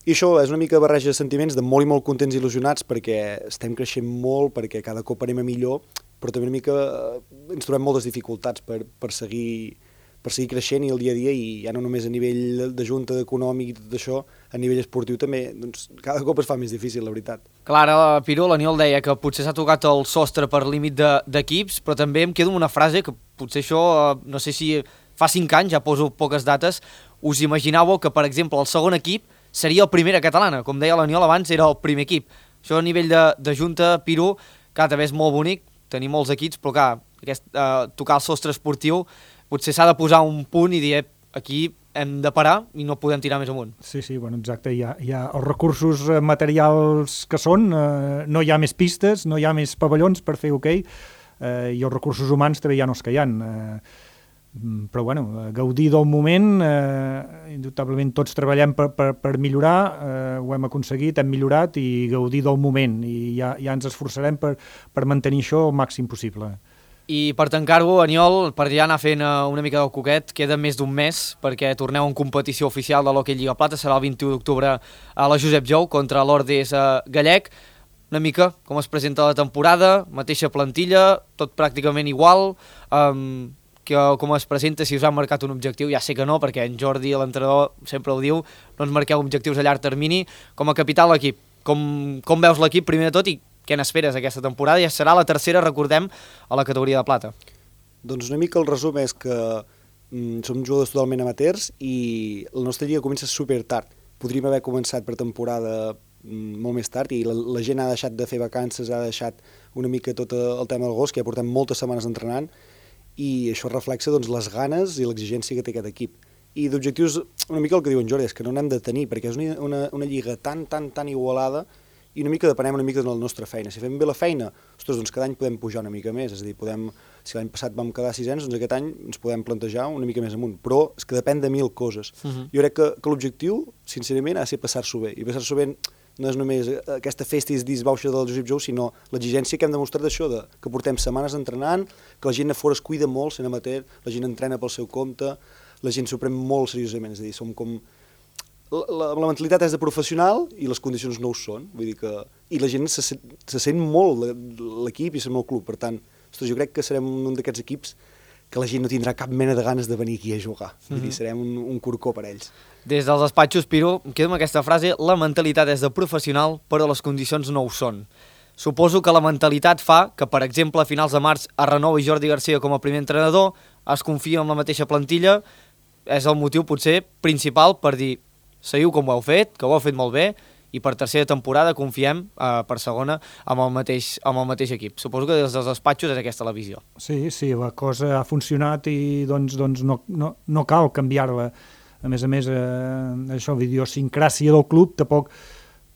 i això és una mica barreja de sentiments de molt i molt contents i il·lusionats perquè estem creixent molt, perquè cada cop anem a millor, però també una mica ens trobem moltes dificultats per, per, seguir, per seguir creixent i el dia a dia, i ja no només a nivell de junta, econòmic i tot això, a nivell esportiu també, doncs cada cop es fa més difícil, la veritat. Clar, ara, Piru, l'Aniol deia que potser s'ha tocat el sostre per límit d'equips, però també em quedo amb una frase que potser això, no sé si fa cinc anys, ja poso poques dates, us imaginàveu que, per exemple, el segon equip seria el primer a catalana, com deia l'Aniol abans, era el primer equip. Això a nivell de, de junta, Piru, clar, també és molt bonic, tenir molts equips, però clar, aquest, eh, tocar el sostre esportiu, potser s'ha de posar un punt i dir, aquí hem de parar i no podem tirar més amunt. Sí, sí, bueno, exacte, hi ha, hi ha els recursos materials que són, eh, no hi ha més pistes, no hi ha més pavellons per fer hoquei, eh, i els recursos humans també hi ha els que hi ha. Eh, però bueno, gaudir del moment, eh, indubtablement tots treballem per, per, per millorar, eh, ho hem aconseguit, hem millorat, i gaudir del moment, i ja, ja ens esforçarem per, per mantenir això el màxim possible. I per tancar-ho, Aniol, per ja anar fent una mica del coquet, queda més d'un mes perquè torneu en competició oficial de l'Hockey Lliga Plata, serà el vint-i-u d'octubre a la Josep Jou contra l'Ordes Gallec. Una mica com es presenta la temporada, mateixa plantilla, tot pràcticament igual, um, que, com es presenta, si us han marcat un objectiu, ja sé que no, perquè en Jordi, l'entrenador, sempre ho diu, no ens marqueu objectius a llarg termini, com a capità de l'equip. Com, com veus l'equip, primer de tot, i què n'esperes aquesta temporada? Ja serà la tercera, recordem, a la categoria de plata. Doncs una mica el resum és que mm, som jugadors totalment amateurs i la nostra lliga comença super tard. Podríem haver començat per temporada mm, molt més tard i la, la gent ha deixat de fer vacances, ha deixat una mica tot el tema del gos, que ja portem moltes setmanes entrenant, i això reflexa doncs, les ganes i l'exigència que té aquest equip. I d'objectius, una mica el que diu en Jordi, és que no n'hem de tenir, perquè és una, una, una lliga tan, tan, tan igualada i una mica depenem una mica de la nostra feina. Si fem bé la feina, ostres, doncs cada any podem pujar una mica més, és a dir, podem, si l'any passat vam quedar sisens, doncs aquest any ens podem plantejar una mica més amunt, però és que depèn de mil coses. Uh-huh. Jo crec que, que l'objectiu, sincerament, ha de ser passar-s'ho bé, i passar-s'ho bé no és només aquesta festa i disbauxa del Josep Jou, sinó l'exigència que hem demostrat d'això, de, que portem setmanes entrenant, que la gent a fora es cuida molt, sent amateur, la gent entrena pel seu compte, la gent s'ho pren molt seriosament, és a dir, som com... La, la, la mentalitat és de professional i les condicions no ho són, vull dir que... I la gent se, se sent molt l'equip i se sent molt club, per tant, ostres, jo crec que serem un d'aquests equips que la gent no tindrà cap mena de ganes de venir aquí a jugar, mm-hmm. vull dir, serem un, un corcó per ells. Des dels despatxos, Piro, em quedo amb aquesta frase, la mentalitat és de professional, però les condicions no ho són. Suposo que la mentalitat fa que, per exemple, a finals de març es renovi Jordi Garcia com a primer entrenador, es confia en la mateixa plantilla, és el motiu potser principal per dir seguiu com ho heu fet, que ho heu fet molt bé, i per tercera temporada confiem eh, per segona amb el, mateix, amb el mateix equip. Suposo que des dels despatxos és aquesta la visió. Sí, sí, la cosa ha funcionat i doncs, doncs no, no, no cal canviar-la. A més a més, eh, això, l'idiosincràsia del club tampoc,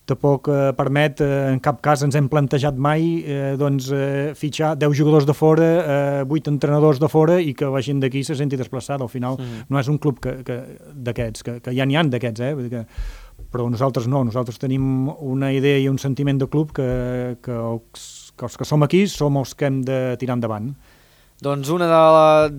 tampoc eh, permet, eh, en cap cas ens hem plantejat mai eh, doncs, eh, fitxar deu jugadors de fora, eh, vuit entrenadors de fora i que la gent d'aquí se senti desplaçada. Al final mm. no és un club que, que, d'aquests, que, que ja n'hi ha d'aquests, eh? Vull dir que, però nosaltres no, nosaltres tenim una idea i un sentiment de club que, que, els, que els que som aquí som els que hem de tirar endavant. Doncs un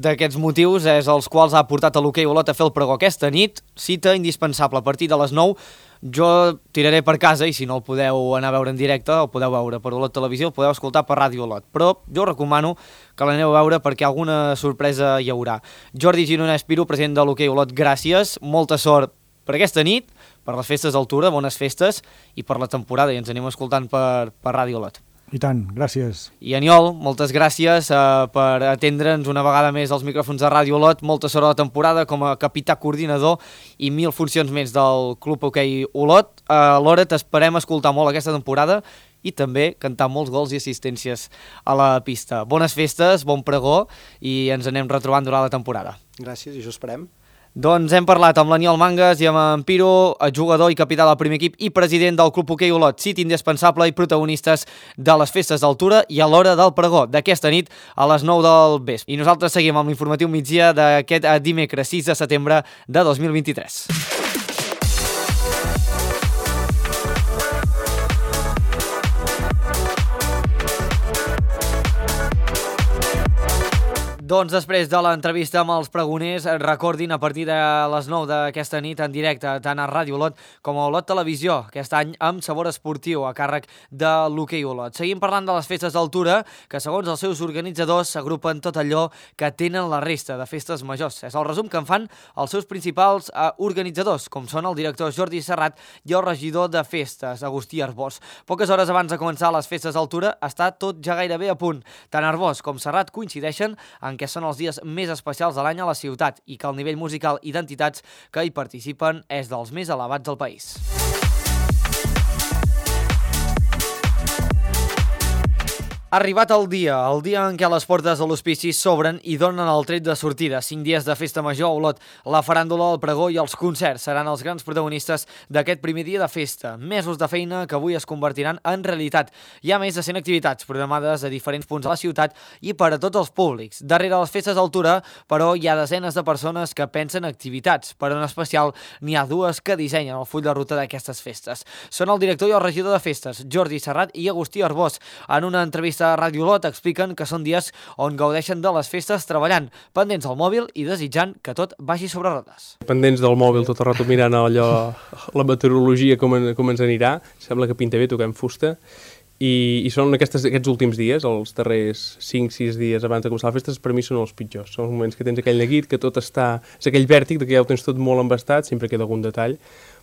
d'aquests motius és els quals ha portat a l'Hockey Olot a fer el pregó aquesta nit, cita indispensable a partir de les nou. Jo tiraré per casa i si no el podeu anar a veure en directe, el podeu veure per Olot Televisió, el podeu escoltar per Ràdio Olot. Però jo recomano que l'aneu a veure perquè alguna sorpresa hi haurà. Jordi Gironès Piro, president de l'Hockey Olot, gràcies, molta sort per aquesta nit, per les festes d'altura, bones festes, i per la temporada, i ens anem escoltant per, per Ràdio Olot. I tant, gràcies. I Aniol, moltes gràcies eh, per atendre'ns una vegada més als micròfons de Ràdio Olot, molta sort a la temporada com a capità coordinador i mil funcions més del Club Hoquei Olot. Eh, alhora t'esperem escoltar molt aquesta temporada i també cantar molts gols i assistències a la pista. Bones festes, bon pregó i ens anem retrobant durant la temporada. Gràcies, i això esperem. Doncs hem parlat amb l'Aniol Mangas i amb en Piro, jugador i capità del primer equip i president del Club Hoquei Olot, cita indispensable i protagonistes de les festes d'altura i a l'hora del pregó d'aquesta nit a les nou del vespre. I nosaltres seguim amb l'informatiu migdia d'aquest dimecres sis de setembre de dos mil vint-i-tres. Doncs després de l'entrevista amb els pregoners, recordin a partir de les nou d'aquesta nit en directe tant a Ràdio Olot com a Olot Televisió, aquest any amb sabor esportiu a càrrec de l'Hoquei Olot. Seguim parlant de les festes d'altura que segons els seus organitzadors s'agrupen tot allò que tenen la resta de festes majors. És el resum que en fan els seus principals eh, organitzadors, com són el director Jordi Serrat i el regidor de festes, Agustí Arbós. Poques hores abans de començar les festes d'altura està tot ja gairebé a punt. Tant Arbós com Serrat coincideixen en que són els dies més especials de l'any a la ciutat i que el nivell musical i d'entitats que hi participen és dels més elevats del país. Ha arribat el dia, el dia en què les portes de l'hospici s'obren i donen el tret de sortida. Cinc dies de festa major a Olot, la faràndula, el pregó i els concerts seran els grans protagonistes d'aquest primer dia de festa. Mesos de feina que avui es convertiran en realitat. Hi ha més de cent activitats programades a diferents punts de la ciutat i per a tots els públics. Darrere les festes d'altura, però, hi ha desenes de persones que pensen activitats, però en especial n'hi ha dues que dissenyen el full de ruta d'aquestes festes. Són el director i el regidor de festes, Jordi Serrat i Agustí Arbós. En una entrevista a Ràdio Olot expliquen que són dies on gaudeixen de les festes treballant, pendents del mòbil i desitjant que tot vagi sobre rodes. Pendents del mòbil tot el rato mirant allò, la meteorologia com, en, com ens anirà, sembla que pinta bé, toquem fusta, i, i són aquestes, aquests últims dies, els darrers cinc sis dies abans de començar les festes, per mi són els pitjors. Són els moments que tens aquell neguit, que tot està... És aquell vèrtic de que ja ho tens tot molt embastat, sempre queda algun detall,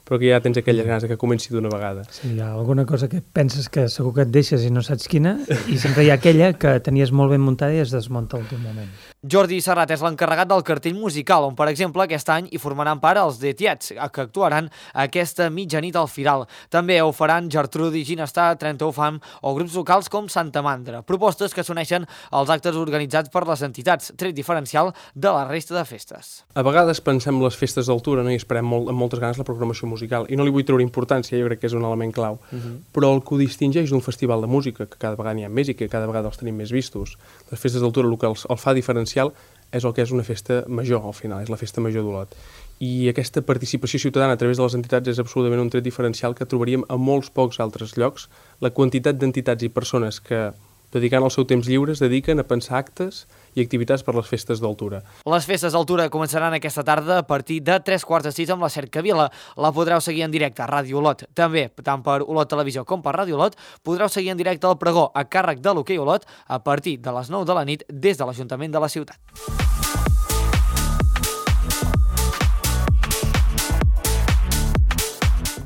però que ja tens aquelles ganes que comenci d'una vegada. Sí, hi ha alguna cosa que penses que segur que et deixes i no saps quina, i sempre hi ha aquella que tenies molt ben muntada i es desmunta a l'últim moment. Jordi Serrat és l'encarregat del cartell musical, on, per exemple, aquest any hi formaran part els The Tiets, que actuaran aquesta mitjanit al Firal. També ho faran Gertrudi, Ginestar, trenta-u Fam o grups locals com Santa Mandra. Propostes que s'uneixen als actes organitzats per les entitats, tret diferencial de la resta de festes. A vegades pensem les festes d'altura, no? I esperem molt, amb moltes ganes la programació musical, i no li vull treure importància, jo crec que és un element clau, uh-huh. Però el que ho distingeix d'un festival de música, que cada vegada n'hi ha més i que cada vegada els tenim més vistos, les festes d'altura el que els, el fa diferencial és el que és una festa major al final, és la festa major d'Olot. I aquesta participació ciutadana a través de les entitats és absolutament un tret diferencial que trobaríem a molts pocs altres llocs. La quantitat d'entitats i persones que, dedicant el seu temps lliure, es dediquen a pensar actes i activitats per les festes d'altura. Les festes d'altura començaran aquesta tarda a partir de tres quarts de sis amb la Cercavila. La podreu seguir en directe a Ràdio Olot. També, tant per Olot Televisió com per Ràdio Olot, podreu seguir en directe el pregó a càrrec de l'Hoquei Olot a partir de les nou de la nit des de l'Ajuntament de la ciutat.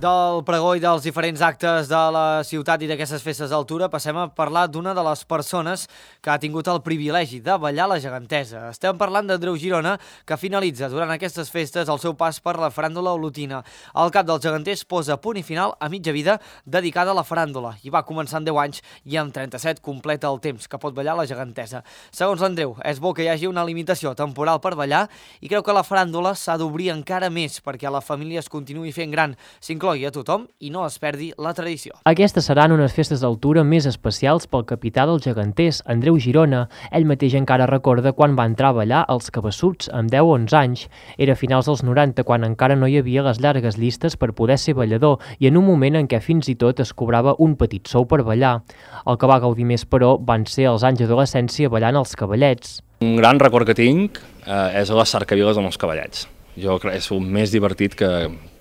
Del pregó i dels diferents actes de la ciutat i d'aquestes festes d'altura passem a parlar d'una de les persones que ha tingut el privilegi de ballar la gegantesa. Estem parlant d'Andreu Girona, que finalitza durant aquestes festes el seu pas per la faràndula olotina. El cap dels geganters posa punt i final a mitja vida dedicada a la faràndula i va començar amb deu anys i amb trenta-set completa el temps que pot ballar la gegantesa. Segons l'Andreu, és bo que hi hagi una limitació temporal per ballar i creu que la faràndula s'ha d'obrir encara més perquè la família es continuï fent gran, s'inclogui a tothom i no es perdi la tradició. Aquestes seran unes festes d'altura més especials pel capità dels geganters, Andreu Girona. Ell mateix encara recorda quan va entrar a ballar als Cabassuts amb deu o onze anys. Era a finals dels noranta, quan encara no hi havia les llargues llistes per poder ser ballador i en un moment en què fins i tot es cobrava un petit sou per ballar. El que va gaudir més, però, van ser els anys d'adolescència ballant els cavallets. Un gran record que tinc eh, és a les cercaviles amb els cavallets. Jo crec que és el més divertit que,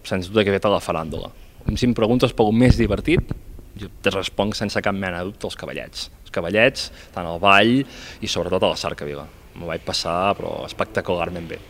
sens dubte, que he fet a la faràndula. Si em preguntes pel més divertit, jo te responc sense cap mena de dubte els cavallets. Els cavallets, tant al ball i sobretot a la cercavila. M'ho vaig passar, però espectacularment bé.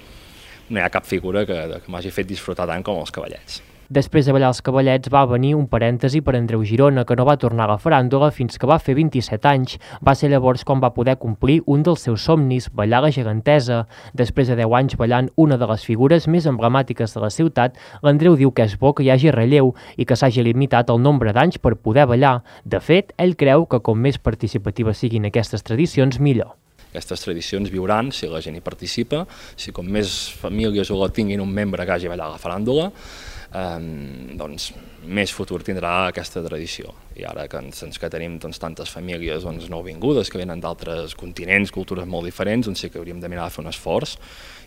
No hi ha cap figura que, que m'hagi fet disfrutar tant com els cavallets. Després de ballar els cavallets va venir un parèntesi per Andreu Girona, que no va tornar a la faràndula fins que va fer vint-i-set anys. Va ser llavors quan va poder complir un dels seus somnis, ballar la gegantesa. Després de deu anys ballant una de les figures més emblemàtiques de la ciutat, l'Andreu diu que és bo que hi hagi relleu i que s'hagi limitat el nombre d'anys per poder ballar. De fet, ell creu que com més participatives siguin aquestes tradicions, millor. Aquestes tradicions viuran si la gent hi participa, si com més famílies o tinguin un membre que hagi ballat a la faràndula, eh, doncs més futur tindrà aquesta tradició. I ara que, doncs, que tenim doncs, tantes famílies doncs, nouvingudes que venen d'altres continents, cultures molt diferents, doncs sí que hauríem de mirar de fer un esforç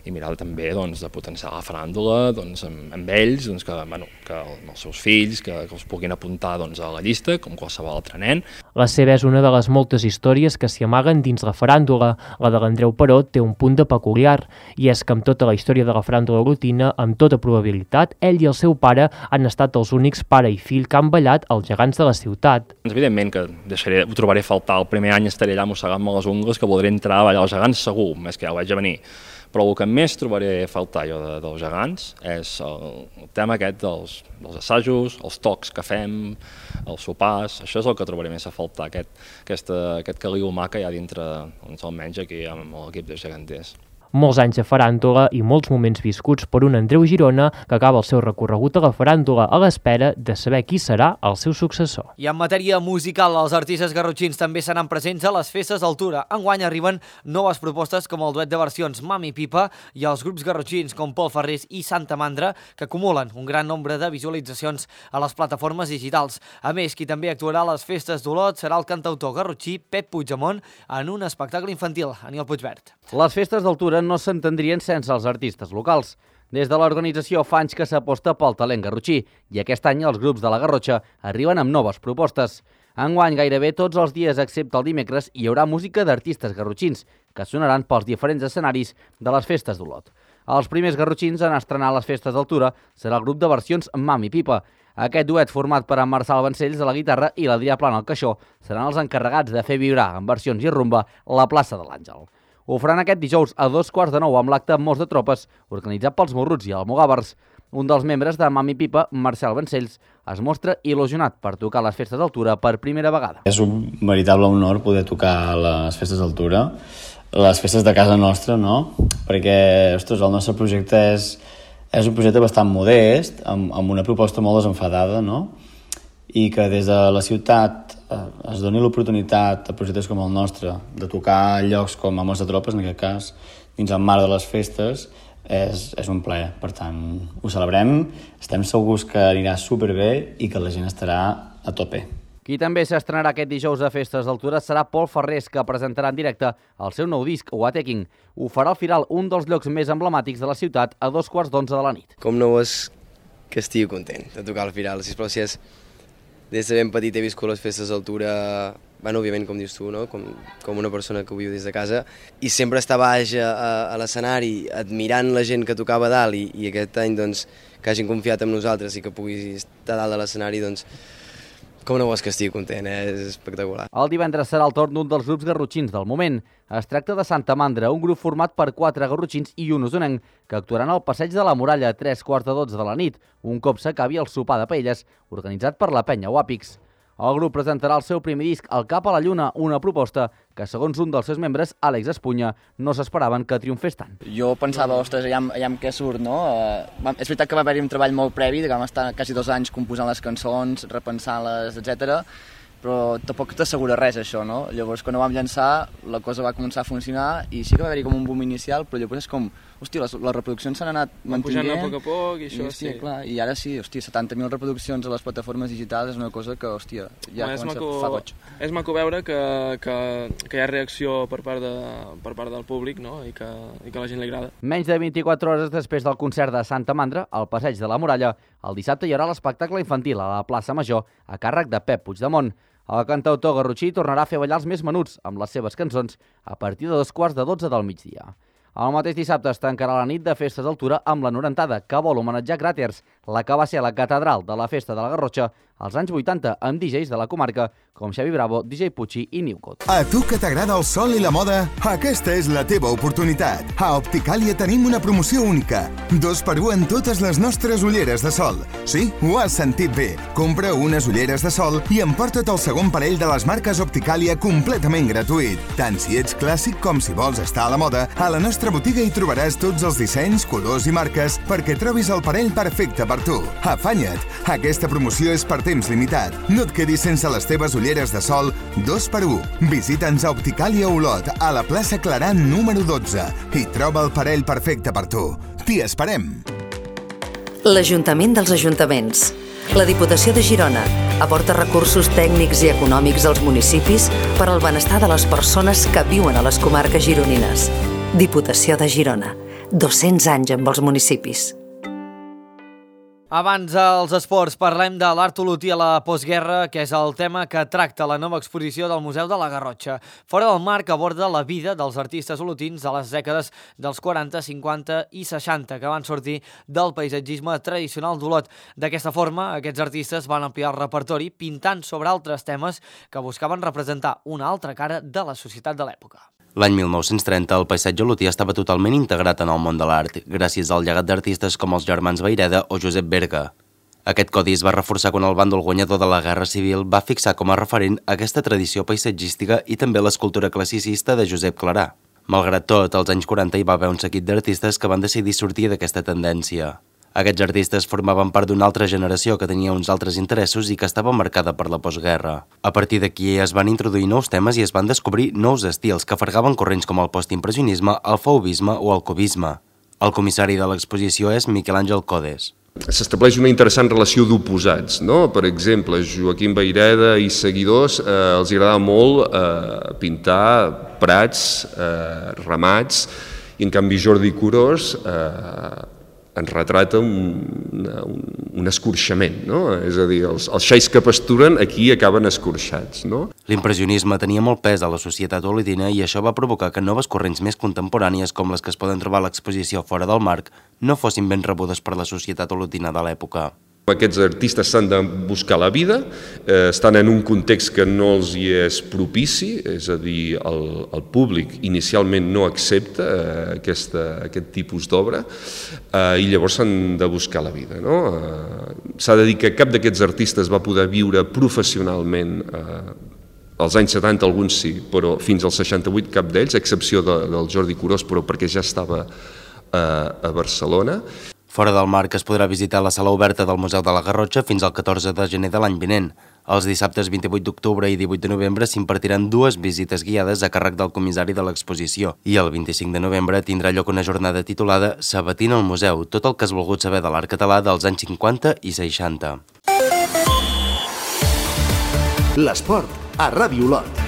i mirar també doncs, de potenciar la faràndula doncs, amb, amb ells, doncs, que, bueno, que els seus fills que, que els puguin apuntar doncs, a la llista, com qualsevol altre nen. La seva és una de les moltes històries que s'hi amaguen dins la faràndula. La de l'Andreu, però, té un punt de peculiar, i és que amb tota la història de la faràndula olotina, amb tota probabilitat, ell i el seu pare han estat els únics pare i fill que han ballat els gegants de la ciutat. Evidentment que deixaré, ho trobaré a faltar. El primer any estaré allà mossegant-me les ungles que voldré entrar a ballar els gegants segur, més que ja ho vaig a venir. Però el que més trobaré a faltar jo de, dels gegants és el, el tema aquest dels, dels assajos, els tocs que fem, els sopars, això és el que trobaré més a faltar, aquest, aquesta, aquest caliu humà que hi ha dintre, doncs, almenys aquí amb l'equip de geganters. Molts anys de faràndula i molts moments viscuts per un Andreu Girona que acaba el seu recorregut a la faràndula a l'espera de saber qui serà el seu successor. I en matèria musical, els artistes garrotxins també seran presents a les festes d'altura. Enguany arriben noves propostes com el duet de versions Mami Pipa i els grups garrotxins com Pol Ferrés i Santa Mandra, que acumulen un gran nombre de visualitzacions a les plataformes digitals. A més, qui també actuarà a les festes d'Olot serà el cantautor garrotxí Pep Puigdemont en un espectacle infantil. Aniol Puigverd. Les festes d'altura no s'entendrien sense els artistes locals. Des de l'organització fa anys que s'aposta pel talent garrotxí i aquest any els grups de la Garrotxa arriben amb noves propostes. Enguany, gairebé tots els dies, excepte el dimecres, hi haurà música d'artistes garrotxins, que sonaran pels diferents escenaris de les festes d'Olot. Els primers garrotxins en estrenar les festes d'Altura serà el grup de versions Mami Pipa. Aquest duet, format per en Marçal Vancells a la guitarra i l'Adrià Plana al caixó, seran els encarregats de fer vibrar en versions i rumba la plaça de l'Àngel. Ho faran aquest dijous a dos quarts de nou amb l'acte Mos de Tropes, organitzat pels Morruts i Almogàvers. Un dels membres de Mami Pipa, Marcel Vancells, es mostra il·lusionat per tocar les festes d'Altura per primera vegada. És un veritable honor poder tocar les festes d'Altura, les festes de casa nostra, no? Perquè, ostres, el nostre projecte és, és un projecte bastant modest, amb, amb una proposta molt desenfadada, no? I que des de la ciutat eh, es doni l'oportunitat a projectes com el nostre de tocar llocs com a Mos de Tropes, en aquest cas, dins el marc de les festes, és, és un plaer. Per tant, ho celebrem, estem segurs que anirà superbé i que la gent estarà a tope. Qui també s'estrenarà aquest dijous a Festes d'Altura serà Pol Ferrés, que presentarà en directe el seu nou disc, Wateking. Ho farà al Firal, un dels llocs més emblemàtics de la ciutat, a dos quarts d'onze de la nit. Com no és que estigui content de tocar al Firal, sisplau, si és... Des de ben petit he viscut les festes d'Altura, bueno, òbviament, com dius tu, no? com, com una persona que ho viu des de casa, i sempre estar baix a, a, a l'escenari admirant la gent que tocava dalt, i, i aquest any doncs, que hagin confiat en nosaltres i que pugui estar dalt de l'escenari, doncs, com no vols que estigui content, eh? És espectacular. El divendres serà el torn d'un dels grups garrotxins del moment. Es tracta de Santa Mandra, un grup format per quatre garrotxins i un usonenc, que actuaran al Passeig de la Muralla a tres quarts de dotze de la nit, un cop s'acabi el sopar de paelles, organitzat per la penya Wapix. El grup presentarà el seu primer disc, El cap a la lluna, una proposta que, segons un dels seus membres, Àlex Espunya, no s'esperaven que triomfés tant. Jo pensava, ostres, aviam, aviam què surt, no? Uh, és veritat que va haver-hi un treball molt previ, que vam estar quasi dos anys composant les cançons, repensant-les, etcètera, però tampoc t'assegura res, això, no? Llavors, quan ho vam llançar, la cosa va començar a funcionar i sí que va haver-hi com un boom inicial, però llavors és com, hòstia, les, les reproduccions s'han anat mantenint. Pujant a poc a poc i això, i, hòstia, sí. Clar, i ara sí, hòstia, setanta mil reproduccions a les plataformes digitals és una cosa que, hòstia, ja no, comença maco, a fa goig. És maco veure que, que, que hi ha reacció per part, de, per part del públic, no? I que, i que a la gent li agrada. Menys de vint-i-quatre hores després del concert de Santa Mandra, al Passeig de la Muralla, el dissabte hi haurà l'espectacle infantil a la plaça Major a càrrec de Pep Puigdemont. El cantautor garrotxí tornarà a fer ballar els més menuts amb les seves cançons a partir de dos quarts de dotze del migdia. El mateix dissabte es tancarà la nit de Festes d'Altura amb la Norentada, que vol homenatjar Gràters, la que va ser la catedral de la Festa de la Garrotxa als anys vuitanta amb D Js de la comarca com Xavi Bravo, D J Pucci i Newcott. A tu que t'agrada el sol i la moda, aquesta és la teva oportunitat. A Opticàlia tenim una promoció única. Dos per un en totes les nostres ulleres de sol. Sí, ho has sentit bé. Compra unes ulleres de sol i emporta't el segon parell de les marques Opticàlia completament gratuït. Tant si ets clàssic com si vols estar a la moda, a la nostra botiga hi trobaràs tots els dissenys, colors i marques perquè trobis el parell perfecte per tu. Afanya't! Aquesta promoció és per temps limitat. No et quedis sense les teves ulleres de sol dos per un. Visita'ns a Opticàlia Olot, a la plaça Claran número dotze i troba el parell perfecte per tu. T'hi esperem! L'Ajuntament dels Ajuntaments. La Diputació de Girona aporta recursos tècnics i econòmics als municipis per al benestar de les persones que viuen a les comarques gironines. Diputació de Girona. dos-cents anys amb els municipis. Abans als esports parlem de l'art olotí a la postguerra, que és el tema que tracta la nova exposició del Museu de la Garrotxa. Fora del marc aborda la vida dels artistes olotins de les dècades dels quaranta, cinquanta i seixanta, que van sortir del paisatgisme tradicional d'Olot. D'aquesta forma, aquests artistes van ampliar el repertori pintant sobre altres temes que buscaven representar una altra cara de la societat de l'època. L'any mil nou-cents trenta, el paisatge olotí estava totalment integrat en el món de l'art, gràcies al llegat d'artistes com els germans Vayreda o Josep Berga. Aquest codi es va reforçar quan el bàndol guanyador de la Guerra Civil va fixar com a referent aquesta tradició paisatgística i també l'escultura classicista de Josep Clarà. Malgrat tot, als anys quaranta hi va haver un seguit d'artistes que van decidir sortir d'aquesta tendència. Aquests artistes formaven part d'una altra generació que tenia uns altres interessos i que estava marcada per la postguerra. A partir d'aquí es van introduir nous temes i es van descobrir nous estils que fargaven corrents com el postimpressionisme, el fauvisme o el cubisme. El comissari de l'exposició és Miquel Àngel Codes. S'estableix una interessant relació d'oposats, no? Per exemple, Joaquim Vayreda i seguidors eh, els agradava molt eh, pintar prats, eh, ramats, i en canvi Jordi Curós eh, ens retrata un, un, un escorxament, no? És a dir, els, els xais que pasturen aquí acaben escorxats, no? L'impressionisme tenia molt pes a la societat olotina i això va provocar que noves corrents més contemporànies, com les que es poden trobar a l'exposició Fora del marc, no fossin ben rebudes per la societat olotina de l'època. Aquests artistes s'han de buscar la vida, eh, estan en un context que no els hi és propici, és a dir, el, el públic inicialment no accepta eh, aquesta, aquest tipus d'obra eh, i llavors s'han de buscar la vida. No? Eh, s'ha de dir que cap d'aquests artistes va poder viure professionalment eh, als anys setanta, alguns sí, però fins als seixanta-vuit cap d'ells, a excepció de, del Jordi Curós, però perquè ja estava eh, a Barcelona. Fora del marc es podrà visitar la sala oberta del Museu de la Garrotxa fins al catorze de gener de l'any vinent. Els dissabtes vint-i-vuit d'octubre i divuit de novembre s'impartiran dues visites guiades a càrrec del comissari de l'exposició i el vint-i-cinc de novembre tindrà lloc una jornada titulada Sabatint al museu, tot el que has volgut saber de l'art català dels anys cinquanta i seixanta. L'esport a Ràdio Olot.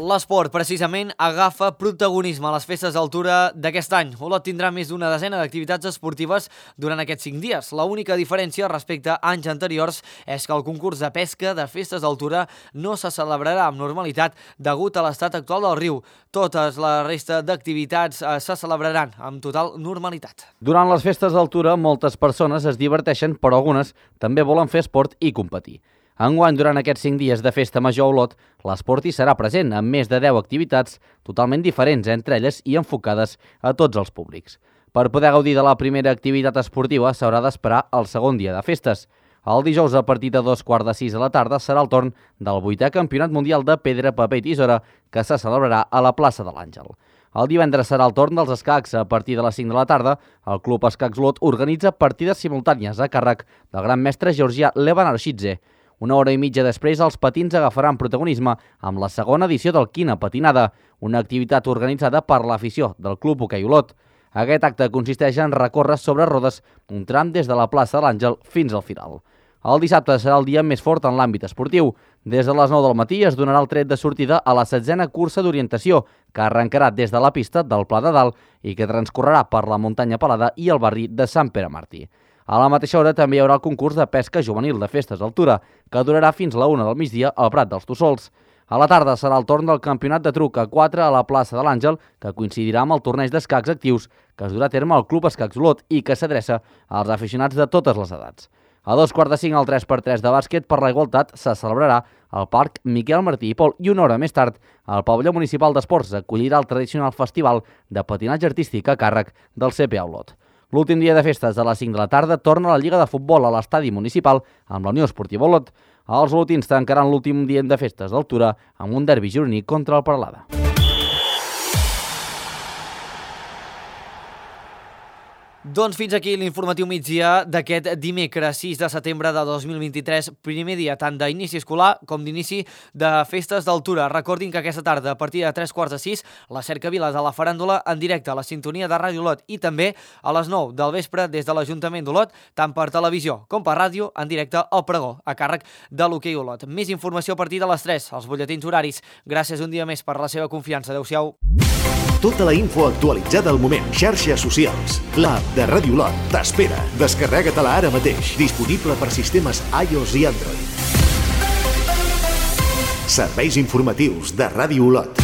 L'esport, precisament, agafa protagonisme a les festes d'altura d'aquest any. Olot tindrà més d'una desena d'activitats esportives durant aquests cinc dies. L'única diferència respecte a anys anteriors és que el concurs de pesca de festes d'altura no se celebrarà amb normalitat degut a l'estat actual del riu. Totes la resta d'activitats se celebraran amb total normalitat. Durant les festes d'altura, moltes persones es diverteixen, però algunes també volen fer esport i competir. Enguany, durant aquests cinc dies de festa major a Olot, l'esport hi serà present, amb més de deu activitats totalment diferents entre elles i enfocades a tots els públics. Per poder gaudir de la primera activitat esportiva s'haurà d'esperar el segon dia de festes. El dijous, a partir de dos quarts de sis de la tarda, serà el torn del vuitè Campionat Mundial de Pedra, Paper i Tisora, que se celebrarà a la plaça de l'Àngel. El divendres serà el torn dels escacs. A partir de les cinc de la tarda, el Club Escacs Olot organitza partides simultànies a càrrec del gran mestre georgià Levan Arshidze. Una hora i mitja després, els patins agafaran protagonisme amb la segona edició del Quina Patinada, una activitat organitzada per l'afició del Club Hoquei Olot. Aquest acte consisteix en recórrer sobre rodes un tram des de la plaça de l'Àngel fins al final. El dissabte serà el dia més fort en l'àmbit esportiu. Des de les nou del matí es donarà el tret de sortida a la setzena cursa d'orientació, que arrencarà des de la pista del Pla de Dalt i que transcorrerà per la muntanya Pelada i el barri de Sant Pere Martí. A la mateixa hora també hi haurà el concurs de pesca juvenil de festes d'altura, que durarà fins la una del migdia al Prat dels Tossols. A la tarda serà el torn del campionat de truc a quatre a la plaça de l'Àngel, que coincidirà amb el torneig d'escacs actius que es durà a terme al Club Escacs Olot i que s'adreça als aficionats de totes les edats. A dos quarts de cinc al tres per tres de bàsquet per la igualtat se celebrarà al Parc Miquel Martí i Pol i una hora més tard el Pavelló Municipal d'Esports acollirà el tradicional festival de patinatge artístic a càrrec del C P A Olot. L'últim dia de festes, a les cinc de la tarda, torna la Lliga de Futbol a l'estadi municipal amb la Unió Esportiva Olot. Els olotins tancaran l'últim dia de festes d'altura amb un derbi gironí contra el Peralada. Doncs fins aquí l'informatiu migdia d'aquest dimecres sis de setembre de dos mil vint-i-tres, primer dia tant d'inici escolar com d'inici de festes d'altura. Recordin que aquesta tarda, a partir de tres quarts de sis, la cercavila de la faràndula en directe a la sintonia de Ràdio Olot i també a les nou del vespre des de l'Ajuntament d'Olot, tant per televisió com per ràdio, en directe al pregó, a càrrec de l'Hoquei Olot. Més informació a partir de les tres, als butlletins horaris. Gràcies un dia més per la seva confiança. Adéu-siau. Tota la info actualitzada al moment. Xarxes socials. L'app de Ràdio Olot t'espera. Descarrega-te-la ara mateix. Disponible per sistemes iOS i Android. Serveis informatius de Ràdio Olot.